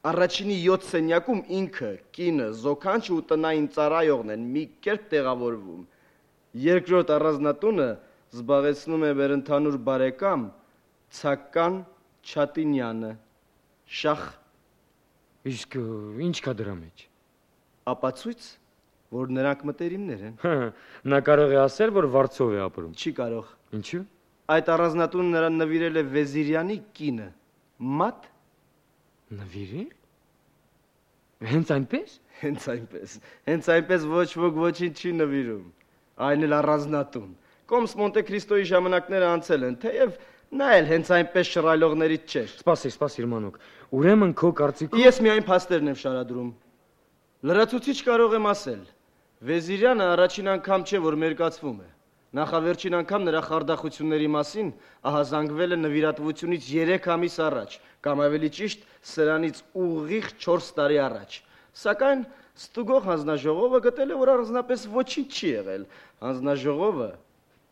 Առաջինի յոթ սենյակում ինքը, կինը, Զոքանչը ու տնային ծառայողն են մի կերպ տեղավորվում։ Երկրորդ առանձնատունը զբաղեցնում է մեր ընդհանուր բարեկամ Ցական Չատինյանը։ Շախ։ Իսկ ինչ կա դրա մեջ։ Ապացույց, որ նրանք մտերիմներ են։ Նա կարող է ասել, որ Վարչով է ապրում։ Չի կարող։ Ինչու։ Այդ առանձնատունը նրան նվիրել է Վեզիրյանի կինը։ Մատ։ Նվիրել։ Հենց այնպես։ Հենց այնպես։ Հենց այնպես ոչ ոք ոչինչ չի նվիրում։ Այն էլ առանձնատուն։ Կոմս Մոնտե Քրիստոյի ժամանակները անցել են, թեև նա էլ հենց այնպես շռայլողներից չէր։ Սպասիր, սպասիր մանուկ։ Ուրեմն քո կարծիքով Ես միայն փաստերն եմ շարադրում։ Լրացուցիչ կարող եմ ասել։ Վեզիրյանը առաջին անգամ չէ, որ մերկացվում է։ Նախավերջին անգամ նրա խարդախությունների մասին ահազանգվել է նվիրատվությունից երեք ամիս առաջ, կամ ավելի ճիշտ, սրանից ուղիղ չորս տարի առաջ։ Սակայն ստուգող հանձնաժողովը գտել է, որ առանձնապես ոչինչ չի եղել։ Հանձնաժողովը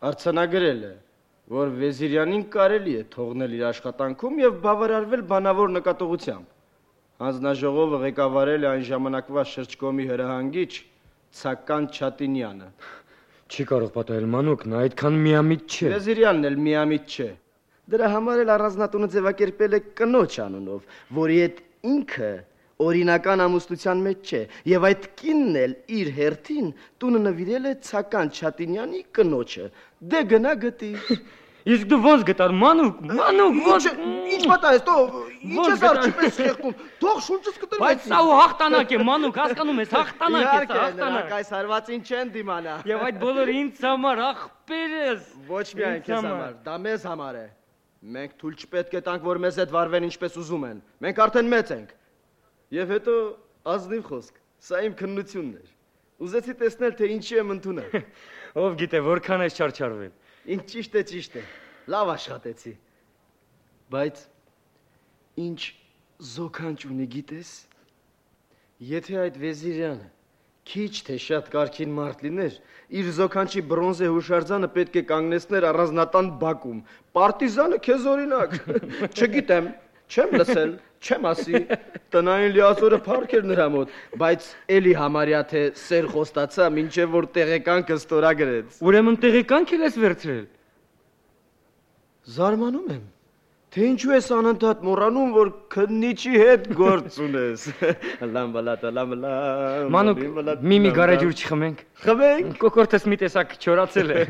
արձանագրել է, որ Վեզիրյանին կարելի է թողնել իր աշխատանքում եւ բավարարվել բանավոր նկատողությամբ։ Հանձնաժողովը ղեկավարել է այն ժամանակվա շրջկոմի հրահանգիչ Ցական Չատինյանը։ Չի կարող պատահել մանուկ, նա այդքան միամիտ չէ։ Վեզիրյանն էլ միամիտ չէ։ Դրա համար էլ առանձնատունը ձևակերպել է կնոջ անունով, որի հետ ինքը օրինական ամուսնության մեջ չէ, եւ այդ կինն էլ իր հերթին տունը նվիրել է Ցական Չատինյանի կնոջը։ Դե գնա գտի։ Իսկ դու ոնց գտար մանուկ, մանուկ, ոնց ինչ պատահեց, թող ինչ ես արչիպես խեղդում, թող շունչս կտրվի։ Բայց սա ու հաղթանակ է, մանուկ, հասկանում ես, հաղթանակ է, սա հաղթանակ։ Այս հարվածին չեն դիմանա։ Եվ այդ բոլորը ինձ համար աղբերս։ Ոչ միայն քեզ համար, դա մեզ համար է։ Մենք թույլ չպետք է տանք, որ մեզ հետ վարվեն ինչպես ուզում են։ Մենք արդեն մեծ ենք։ Եվ հետո ազնիվ խոսք, սա իմ քննությունն էր։ Ուզեցի տեսնել, թե ինչի եմ ընդունել։ Ով գիտե, որքան ես չարչարվել։ Ինչ ճիշտ է, ճիշտ է։ Լավ աշխատեցի։ Բայց ինչ Զոքանչ ունի, գիտես։ Եթե այդ Վեզիրյանը քիչ թե շատ կարքին մարդ լիներ, իր Զոքանչի բրոնզե հուշարձանը պետք է կանգնեցներ առանձնատան բակում։ Պարտիզանը քեզ օրինակ։ Չգիտեմ, չեմ լսել, չեմ ասի, տնային լիազորը փառք էր նրա մոտ, բայց էլի համարյա թե սեր խոստացա, մինչև որ տեղեկանքը ստորագրեց։ Ուրեմն տեղեկանք էլ ես վերցրել։ Զարմանում եմ, թե ինչու ես անընդհատ մոռանում, որ քննիչի հետ գործ ունես։ Լամ բալատա, լամ լամ։ Մանուկ, մի-մի գարեջուր չխմենք։ Խմենք։ Կոկորտս մի տեսակ չորացել է։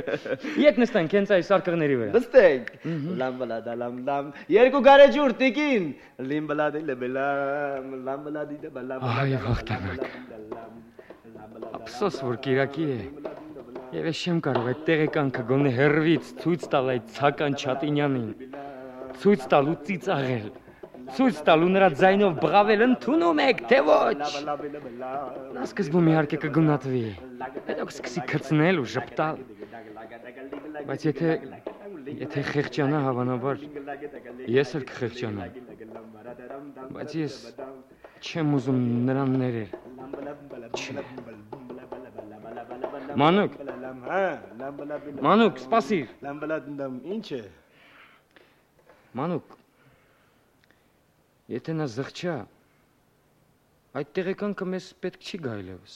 Եկ նստենք հենց այս սարկղների վրա։ Նստենք։ Լամ բալատա, լամ լամ։ Երկու գարեջուր տիկին։ Լիմ բալադի լեբելամ, լամ բալադի դեբալամ։ Այ հաղթանակ։ Ափսոս որ Կիրակի է։ Եվ ես չեմ կարող այդ տեղեկանքը գոնե հերվից ցույց տալ այդ Ցական Չատինյանին։ Ցույց տալ ու ծիծաղել։ ցույց տալու նրա ձայնով բղավել ընդունում եք, թե ոչ։ Նա սկզբում իհարկե կգունատվի, հետո կսկսի քծնել ու ժպտալ։ Բայց եթե եթե խեղճանա, հավանաբար ես էլ կխեղճանամ։ Բայց ես չեմ ուզում նրան ներել։ Չէ։ Մանուկ։ Մանուկ, սպասիր։ Ինչ է։ Մանուկ, եթե նա զղջա, այդ տեղեկանքը մեզ պետք չի գա այլևս։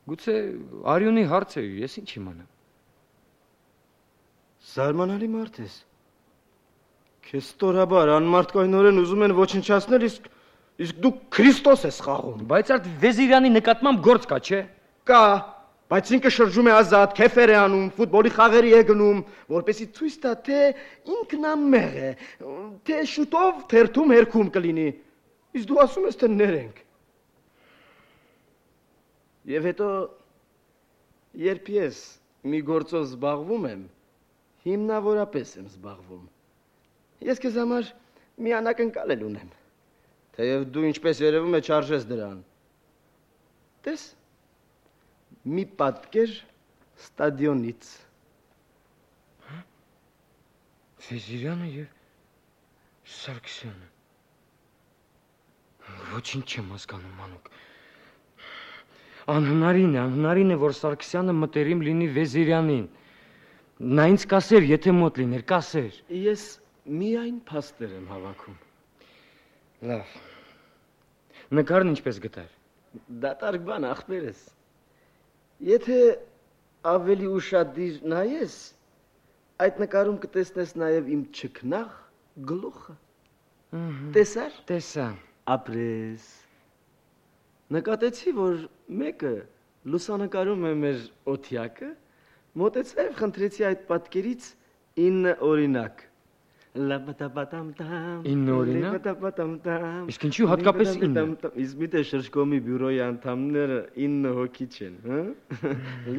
Գուցե Արյունի հարց է, ես ինչ իմանամ։ Զարմանալի մարդ ես։ Քեզ ստորաբար անմարդկայնորեն ուզում են ոչնչացնել, իսկ իսկ դու Քրիստոս ես խաղում։ Բայց այդ Վեզիրյանի նկատմամբ գործ կա, չէ՞։ Կա, բայց ինքը շրջում է ազատ, քեֆեր է անում, ֆուտբոլի խաղերի է գնում, որպեսզի ցույց տա, թե ինքն ամեղ է, թե շուտով թերթում հերքում կլինի։ Իսկ դու ասում ես, թե ներենք։ Եվ հետո երբ ես մի գործով զբաղվում եմ, հիմնավորապես եմ զբաղվում։ Ես քեզ համար մի անակնկալ ունեմ, թեև դու ինչպես երևում է չարժես դրան։ Տես, մի պատկեր ստադիոնից։ Վեզիրյանը եւ Սարգսյանը։ Ոչինչ չեմ հասկանում, Մանուկ։ Անհնարին է, անհնարին է, որ Սարգսյանը մտերիմ լինի Վեզիրյանին։ Նա ինձ կասեր, եթե մոտ լիներ, կասեր։ Ես միայն փաստեր եմ հավաքում։ Լավ։ Նկարն ինչպես գտար։ Դատարկ բան, ախպերս։ Եթե ավելի ուշադիր նայես, այդ նկարում կտեսնես նաև իմ չքնաղ գլուխը։ Տեսար։ Տեսա։ Ապրես։ Նկատեցի, որ մեկը լուսանկարում է մեր օթյակը, մոտեցա եւ խնդրեցի այդ պատկերից ինը օրինակ։ Լաբատաբատամտամ։ ինը օրինակ։ Լաբատաբատամտամ։ Իսկ ինչու հատկապես ինը։ Իսկ միտե շրջկոմի բյուրոյի անդամները ինը հոգի չեն, հա։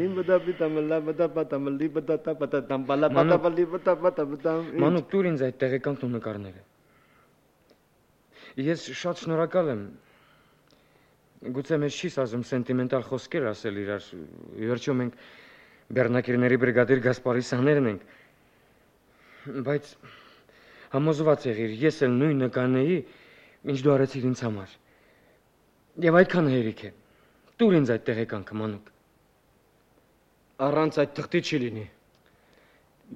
Լիմբադաբիտամ, լաբատաբատամ, լիբադատաբատամ, բալաբատաբա, լիբադաբատաբատամ։ Մանուկ, տուր ինձ այդ տեղեկանք ու նկարները։ Ես շատ շնորհակալ եմ։ Գուցե մեզ չի սազում սենտիմենտալ խոսքեր ասել իրար, ի վերջո մենք բեռնակիրների բրիգադիր Գասպարիսյաններն ենք, բայց համոզված եղիր, ես էլ նույնը կանեի, ինչ դու արեցիր ինձ համար, և այդքան հերիք է, տուր ինձ այդ տեղեկանքը, Մանուկ։ Առանց այդ թղթի չի լինի,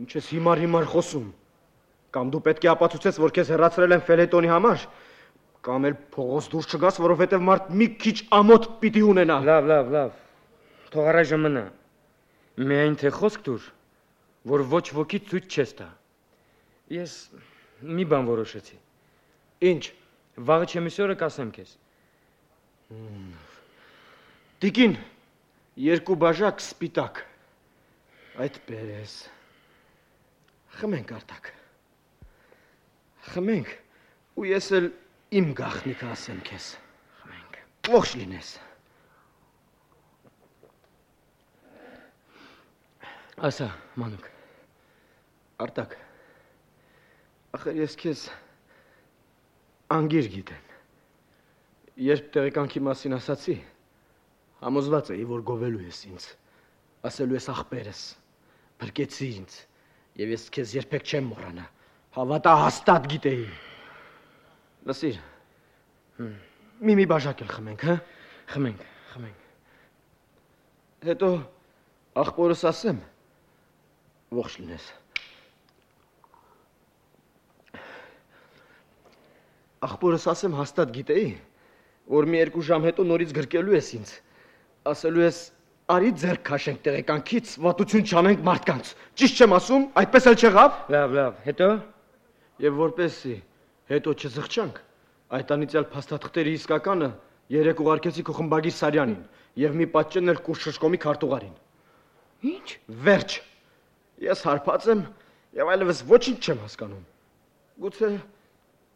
ինչ ես հիմար հիմար խոսում, կամ դու պետք է ապացուցես, որ քեզ հեռացրել են ֆելետոնի համար, կամ էլ փողոց դուրս չգաս, որովհետև մարդ մի քիչ ամոթ պիտի ունենա։ Լավ, լավ, լավ, թող առայժմ մնա, միայն թե խոսք տուր, որ ոչ ոքի ցույց չես տա։ Ես մի բան որոշեցի։ Ինչ։ Վաղը չեմիսյորը կասեմ քեզ։ Տիկին, երկու բաժակ սպիտակ։ Այդպես։ Խմենք արտակ։ Խմենք, ու ես էլ իմ գաղտնիքը ասեմ քեզ։ Խմենք։ Ողջ լինես։ Ասա, Մանուկ։ Արտակ, ախր ես քեզ անգիր գիտեմ։ Երբ տեղեկանքի մասին ասացի, համոզված էի, որ գովելու ես ինձ, ասելու ես ախպերս, բրկեցի ինձ, և ես քեզ երբեք չեմ մոռանա, հավատա հաստատ գիտեի։ Լսիր, մի մի բաժակ էլ խմենք, հա? Խմենք, խմենք։ Հետո ախպորս ասեմ, ողջ լինես։ Ախպորս ասեմ հաստատ գիտեի, որ մի երկու ժամ հետո նորից գրկելու ես ինձ, ասելու ես արի ձեռք քաշենք տեղեկանքից, վատություն չանենք մարդկանց, ճիշտ չեմ ասում, այդպես էլ չեղավ։ Լավ, լավ, հետո։ Եվ որպեսզի հետո չզղջանք, այդ անիծյալ փաստաթղթերի իսկականը երեք ուղարկեցի քո խմբագիր Սարյանին եւ մի պատճեն էլ Կուրշշկոմի քարտուղարին։ Ինչ։ Վերջ։ Ես հարբած եմ եւ այլևս ոչինչ չեմ հասկանում։ Գուցե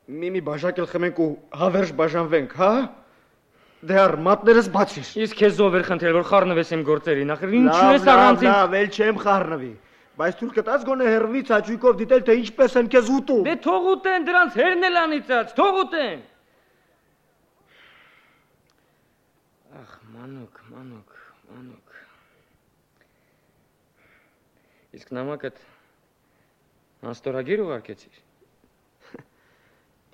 մի-մի բաժակ էլ խմենք ու հավերժ բաժանվենք, հա? Դե առ մատներս բացիր։ Իսկ քեզ ով էր խնդրել, որ խառնվես իմ գործերին, ախր ինչու ես առանց ինձ։ Լավ, լավ, էլ չեմ խառնվի։ Բայց թույլ կտաս գոնե հերվից հաճույքով դիտել, թե ինչպես են քեզ ուտում։ Դե թող ուտեն, դրանց հերն էլ անիծած, թող ուտեն։ Ախ, մանուկ, մանուկ, մանուկ։ Իսկ նամակդ անստորագիր ուղարկեցիր։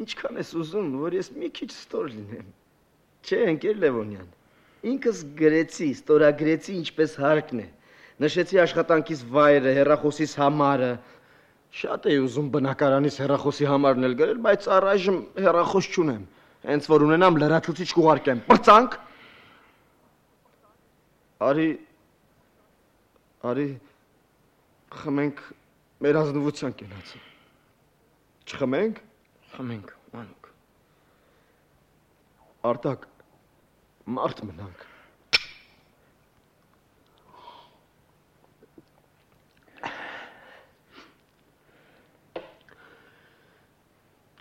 Ինչքան ես ուզում, որ ես մի քիչ ստոր լինեմ։ Չէ, ընկեր Լևոնյան։ Ինքս գրեցի, ստորագրեցի ինչպես հարկն է։ Նշեցի աշխատանքիս վայրը, հեռախոսիս համարը։ Շատ էի ուզում բնակարանից հեռախոսի համարն էլ գրել, բայց առայժմ հեռախոս չունեմ։ Հենց որ ունենամ լրացուցիչ կուղարկեմ։ Պրծանք։ Արի Արի խմենք մեր ազնվության կենացը։ Չխմենք։ Խմենք, մանուկ։ Արտակ, մարդ մնանք։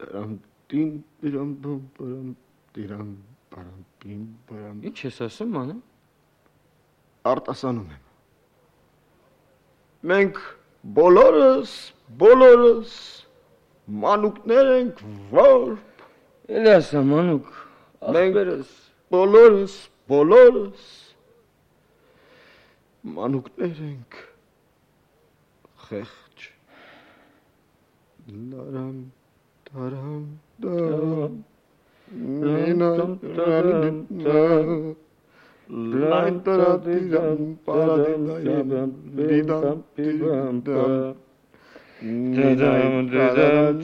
Դրամ տին դրամ բամ բարամ դրամ բարամ պին բարամ։ Ինչ ես ասում, մանու։ Արտասանում եմ։ Մենք բոլորս, բոլորս մանուկներ ենք, որ Էլ ասա, մանուկ, ախպերս։ Բոլորս, բոլորս մանուկներ ենք, խեղճ։ Լարամ, տարամ, դարամ, մենամ, տարամ, տարամ, լայն տարադիդամ, պարադիդայամ, դիդամ, դիդամ, դիդամ, Didam didam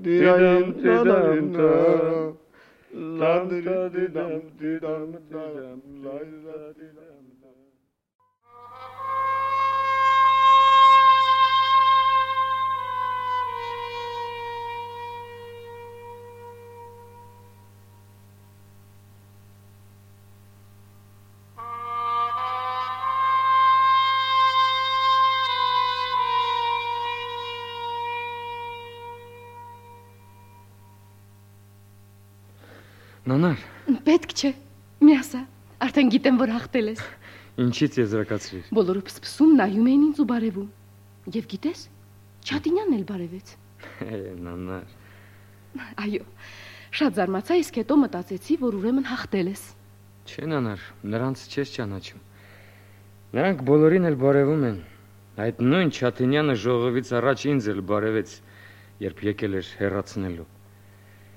didam didam la didam didam didam la didam Նանար։ Պետք չէ։ Մի ասա, արդեն գիտեմ, որ հաղթել ես։ Ինչից եզրակացրիր։ Բոլորը փսփսում նայում էին ինձ ու բարևում։ Եվ գիտես, Չատինյանն էլ բարևեց։ Նանար։ Այո, շատ զարմացա, իսկ հետո մտածեցի, որ ուրեմն հաղթել ես։ Չէ, նանար, նրանց չես ճանաչում։ Նրանք բոլորին էլ բարևում են։ Այդ նույն Չատինյանը ժողովից առաջ ինձ էլ բարևեց, երբ եկել էր հեռացնելու։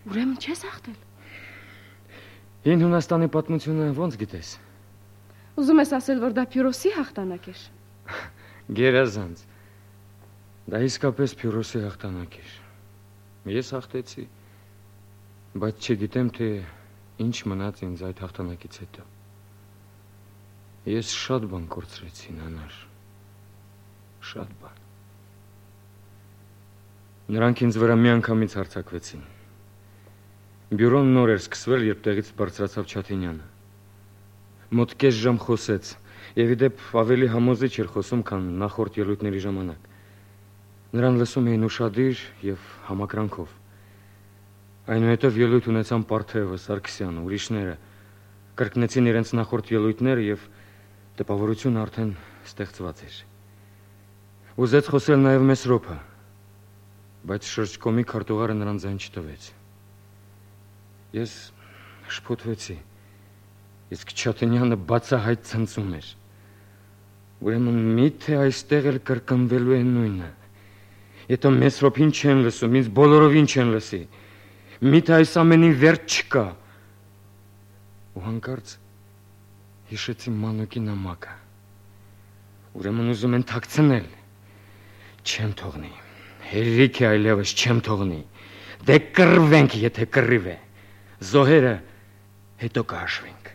Ուրեմն չես հաղթել։ Հին Հունաստանի պատմությունը ո՞նց գիտես։ Ուզում ես ասել, որ դա Փյուրոսի հաղթանակ էր։ Գերազանց։ Դա իսկապես Փյուրոսի հաղթանակ էր։ Ես հաղթեցի, բայց չգիտեմ, թե ինչ մնաց ինձ այդ հաղթանակից հետո։ Ես շատ բան կորցրեցի, նանար։ Շատ բան։ Նրանք ինձ վրա միանգամից հարձակվեցին։ Բյուրոն նոր էր սկսվել, երբ տեղից բարձրացավ Չատինյանը։ Մոտ կես ժամ խոսեց, եւ իդեպ ավելի համոզիչ էր խոսում, քան նախորդ ելույթների ժամանակ։ Նրան լսում էին ուշադիր եւ համակրանքով։ Այնուհետև ելույթ ունեցան Պարթևը, Սարգսյանը, ուրիշները, կրկնեցին իրենց նախորդ ելույթները եւ տպավորությունը արդեն ստեղծված էր։ Ուզեց խոսել նաեւ Մեսրոպը, բայց շրջկոմի քարտուղարը նրան ձայն չտվեց։ Ես շփոթվեցի, իսկ Չատինյանը բացահայտ ցնծում էր։ Ուրեմն միթե այստեղ էլ կրկնվելու է նույնը։ Եթե Մեսրոպին չեն լսում, ինձ բոլորովին չեն լսի։ Միթե այս ամենի վերջ չկա։ Ու հանկարծ հիշեցի մանուկի նամակը։ Ուրեմն ուզում են թաքցնել։ Չեմ թողնի։ Հերիք է այլևս չեմ թողնի։ Դե կռվենք, եթե կռիվ է։ Զոհերը հետո կհաշվենք։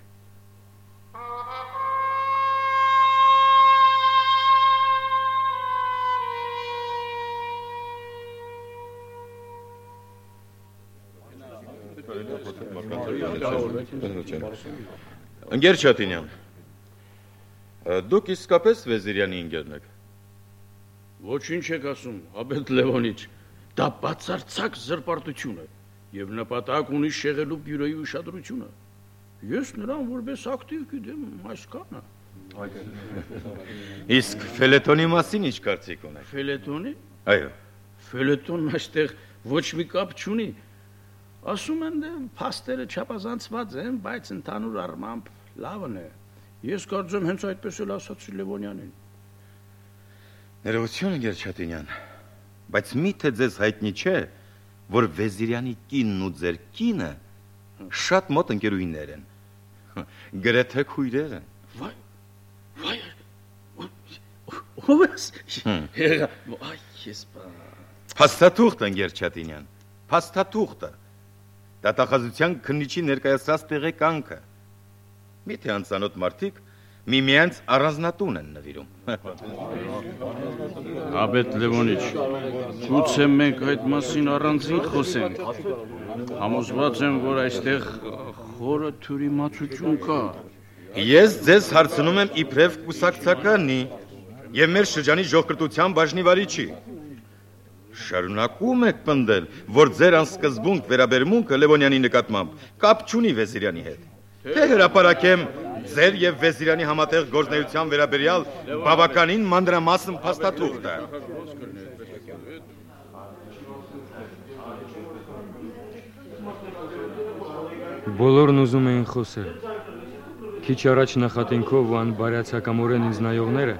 Ընկեր Չատինյան, դուք իսկապես Վեզիրյանի ընկերն եք։ Ոչինչ եք ասում, Աբետ Լևոնիչ, դա բացարձակ զրպարտություն է եւ նպատակ ունի շեղելու բյուրոյի ուշադրությունը։ Ես նրան որպես ակտիվ գիտեմ այսքանը։ Իսկ ֆելետոնի մասին ինչ կարծիք ունեք։ Ֆելետոնի։ Այո։ Ֆելետոնն այստեղ ոչ մի կապ չունի։ Ասում են, փաստերը չափազանցված են, բայց ընդհանուր առմամբ լավն է։ Ես կարծում հենց այդպես էլ ասացի Լևոնյանին։ Ներողություն, Գեր Չատինյան, բայց միթե ձեզ հայտնի չէ, որ Վեզիրյանի կինն ու ձեր կինը շատ մոտ ընկերուհիներ են։ Գրեթե քույրեր են։ Վայ, վայ, ո՞վ ես։ Այ, ես բա։ Փաստաթուղթ, Գեր Չատինյան, փաստաթուղթը։ Դատախազության քննիչի ներկայացրած տեղեկանքը։ Միթե անծանոթ մարդիկ միմյանց առանձնատուն են նվիրում։ Աբետ Լևոնիչ, գուցե մենք այդ մասին առանձին խոսենք։ Համոզված եմ, որ այստեղ խորը թյուրիմացություն կա։ Ես ձեզ հարցնում եմ իբրև կուսակցականի եւ մեր շրջանի ժողկրտության բաժնի վարիչի։ Շարունակում եք պնդել, որ ձեր անսկզբունք վերաբերմունքը Լևոնյանի նկատմամբ կապ չունի Վեզիրյանի հետ։ Թե հրապարակեմ ձեր եւ Վեզիրյանի համատեղ գործնեության վերաբերյալ բավականին մանրամասն փաստաթուղթը։ Բոլորն ուզում էին խոսել։ Քիչ առաջ նախատինքով ու անբարյացակամորեն ինձ նայողները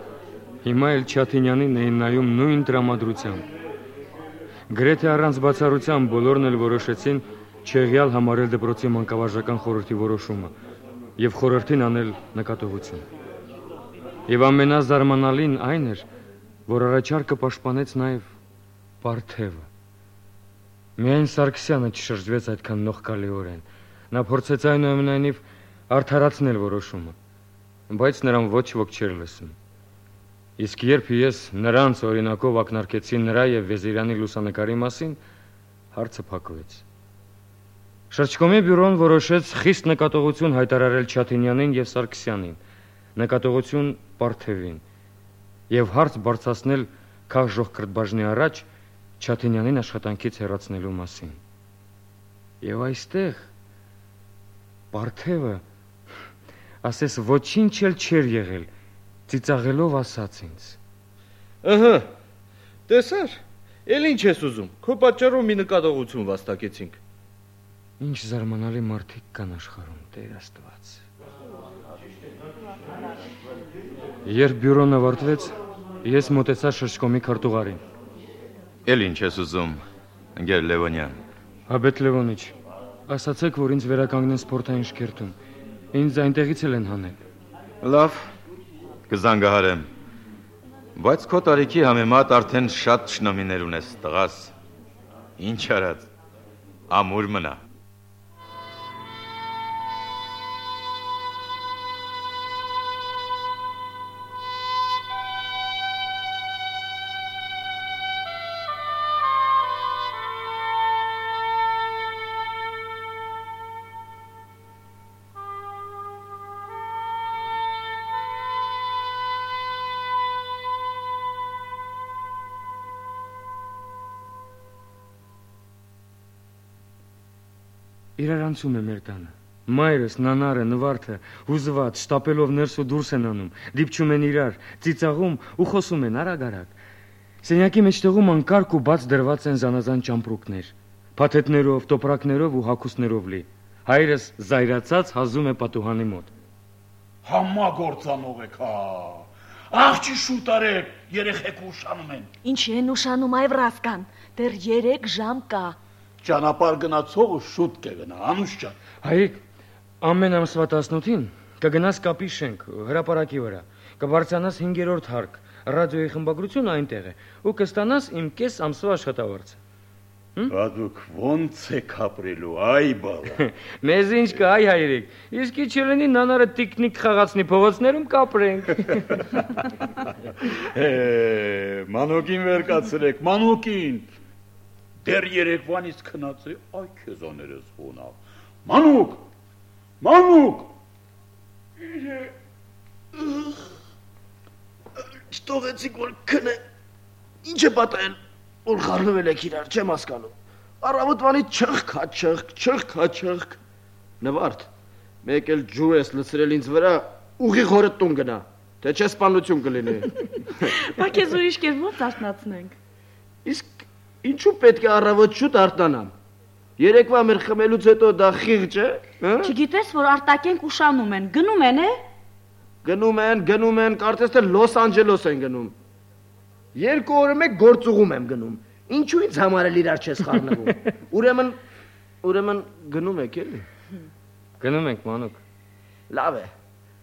հիմա էլ Չաթինյանին էին նայում նույն տրամադրությամբ։ Գրեթե առանց բացառության բոլորն էլ որոշեցին չեղյալ համարել դպրոցի մանկավարժական խորհրդի որոշումը եւ խորհրդին անել նկատողություն։ Եվ ամենազարմանալին այն էր, որ առաջարկը պաշտպանեց նաեւ Պարթևը։ Միայն Սարգսյանը չշրջվեց այդքան նողկալիորեն։ Նա փորձեց այնուամենայնիվ արդարացնել որոշումը, բայց նրան ոչ ոք չէր լսում։ Իսկ երբ ես նրանց օրինակով ակնարկեցի նրա եւ Վեզիրյանի լուսանկարի մասին, հարցը փակվեց։ Շրջկոմի բյուրոն որոշեց խիստ նկատողություն հայտարարել Չաթինյանին եւ Սարգսյանին, նկատողություն Պարթևին, եւ հարց բարձրացնել քաղաքժողկրտբաժնի առաջ Չաթինյանին աշխատանքից հեռացնելու մասին։ Եվ այստեղ Պարթևը ասես ոչինչ էլ չէր եղել, ծիծաղելով ասաց ինձ. Ըհը, տեսար, էլ ինչ ես ուզում, քո պատճառով մի նկատողություն վաստակեցինք։ Ինչ զարմանալի մարդիկ կան աշխարհում, Տեր Աստված։ Երբ բյուրոն ավարտվեց, ես մոտեցա Շրջկոմի քարտուղարին։ Էլ ինչ ես ուզում, Ընկեր Լևոնյան։ Աբետ Լևոնիչ, ասացեք, որ ինձ վերականգնեն սպորտային շքերթում։ Ինձ այնտեղից էլ են հանել։ Լավ, կզանգահարեմ։ Բայց քո տարիքի համեմատ արդեն շատ շնամիներ ունես, տղաս։ Ինչ արած, ամուր մնա։ Իրարանցում է մեր տանը։ Մայրս, նանարը, նվարդը, հուզված, շտապելով ներս ու դուրս են անում, դիպչում են իրար, ծիծաղում ու խոսում են արագ-արագ։ Սենյակի մեջտեղում անկարգ ու բաց դրված են զանազան ճամպրուկներ, փաթեթներով, տոպրակներով ու հագուստներով լի։ Հայրս զայրացած հազում է պատուհանի մոտ։ Համագործանող եք, հա։ Աղջի շուտ արեք, երեխեք ուշանում են։ Ինչ են ուշանում, այ վրասկան, դեռ երեք ժամ կա։ Ճանապարհ գնացողը շուտ կգնա, Անուշ ջան։ Հայք, ամեն ամսվա տասնութին կգնաս կապի շենք, հրապարակի վրա, կբարձրանաս հինգերորդ հարկ, ռադիոյի խմբագրությունը այնտեղ է, ու կստանաս իմ կես ամսվա աշխատավարձը։ Բա դուք ո՞նց եք ապրելու, այ բալա։ Մեզ ինչ կա, այ հայրիկ, իսկ ի չելնի նանարը տիկնիկ խաղացնի փողոցներում կապրենք։ Է, մանոկին վեր կացրեք, մանոկին։ Դեռ երեկվանից քնած է, այ քեզաներս հոնավ։ Մանուկ, մանուկ։ Չթողեցիք որ քնե։ Ինչ է պատահել, որ խառնվել եք իրար, չեմ հասկանում։ Առավոտվանից չխկա, չխկ, չխկա, չխկ։ Նվարդ, մեկ էլ ջուր ես լցրել ինձ վրա ուղի խորը տուն գնա, թե չէ սպանություն կլինի։ Բա քեզ ուրիշ կերպով արթնացնենք։ Իսկ ինչու պետք է առավոտ շուտ արթնանամ։ Երեկվա մեր խմելուց հետո դա խիղճ է, հա՞։ Չգիտես, որ արտակենք ուշանում են, գնում են, է։ Գնում են, գնում են, կարծես թե Լոս Անջելոս են գնում։ Երկու օրը մեկ գործուղում եմ գնում։ Ինչու ինձ համար էլ իրար չես խառնվում։ Ուրեմն, ուրեմն գնում եք էլի։ Գնում ենք, մանուկ։ Լավ է։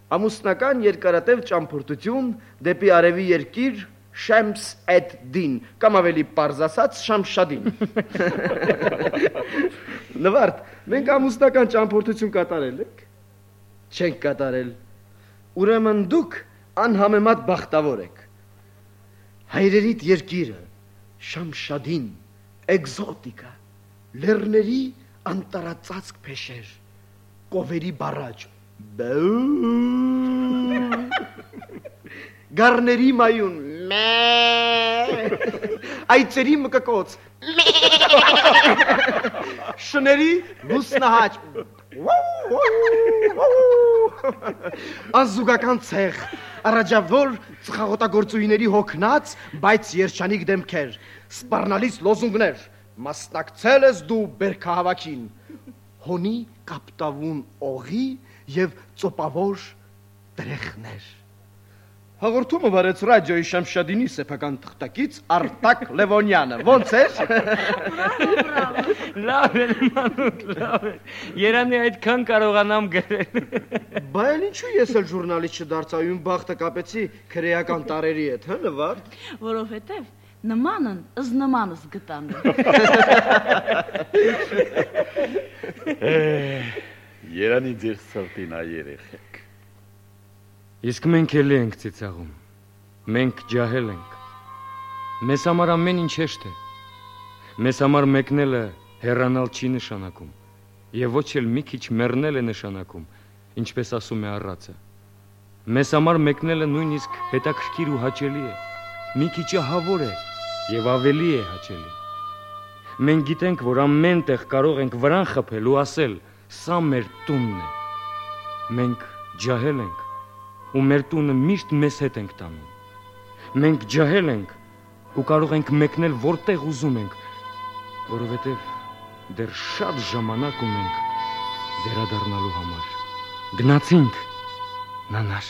Ամուսնական երկարատև ճամփորդություն դեպի արևի երկիր Շեմս էդ դին, կամ ավելի պարզ ասած Շամշադին։ Նվարդ, մենք ամուսնական ճամփորդություն կատարել ենք։ Չենք կատարել։ Ուրեմն դուք անհամեմատ բախտավոր եք։ Հայրերիդ երկիրը, Շամշադին, էկզոտիկա, լեռների անտարածածկ փեշեր, կովերի բարաջ, գառների մայուն, այծերի մկկոց, շների լուսնահաճ, անզուգական ցեղ, առաջավոր ծխաղոտագործուհիների հոգնած, բայց երջանիկ դեմքեր, սպառնալից լոզունգներ, մասնակցել ես դու բերքահավաքին, հոնի կապտավուն օղի եւ ծոպավոր տրեխներ։ Հաղորդումը վարեց ռադիոյի Շամշադինի սեփական թղթակից Արտակ Լևոնյանը։ Ոնց էր։ Լավ է, մանուկ, լավ է։ Երանի այդքան կարողանամ գրել։ Բա էլ ինչու ես էլ ժուրնալիստ չդարձայում բախտը կապեցի քրեական տարերի հետ, հա, Նվարդ։ Որովհետև նմանն ըզ նմանս գտան։ Երանի ձեր սրտին այ երեխեք։ Իսկ մենք էլի ենք ծիծաղում, մենք ջահել ենք, մեզ համար ամեն ինչ հեշտ է, մեզ համար մեկնելը հեռանալ չի նշանակում, և ոչ էլ մի քիչ մեռնել է նշանակում, ինչպես ասում է առածը, մեզ համար մեկնելը նույնիսկ հետաքրքիր ու հաճելի է, մի քիչ ահավոր է և ավելի է հաճելի, մենք գիտենք, որ ամեն տեղ կարող ենք վրան խփել ու ասել, սա մեր տունն է, մենք ջահել ենք, ու մեր տունը միշտ մեզ հետ ենք տանում։ Մենք ջահել ենք ու կարող ենք մեկնել որտեղ ուզում ենք, որովհետև դեռ շատ ժամանակ ունենք վերադառնալու համար։ Գնացինք, նանար։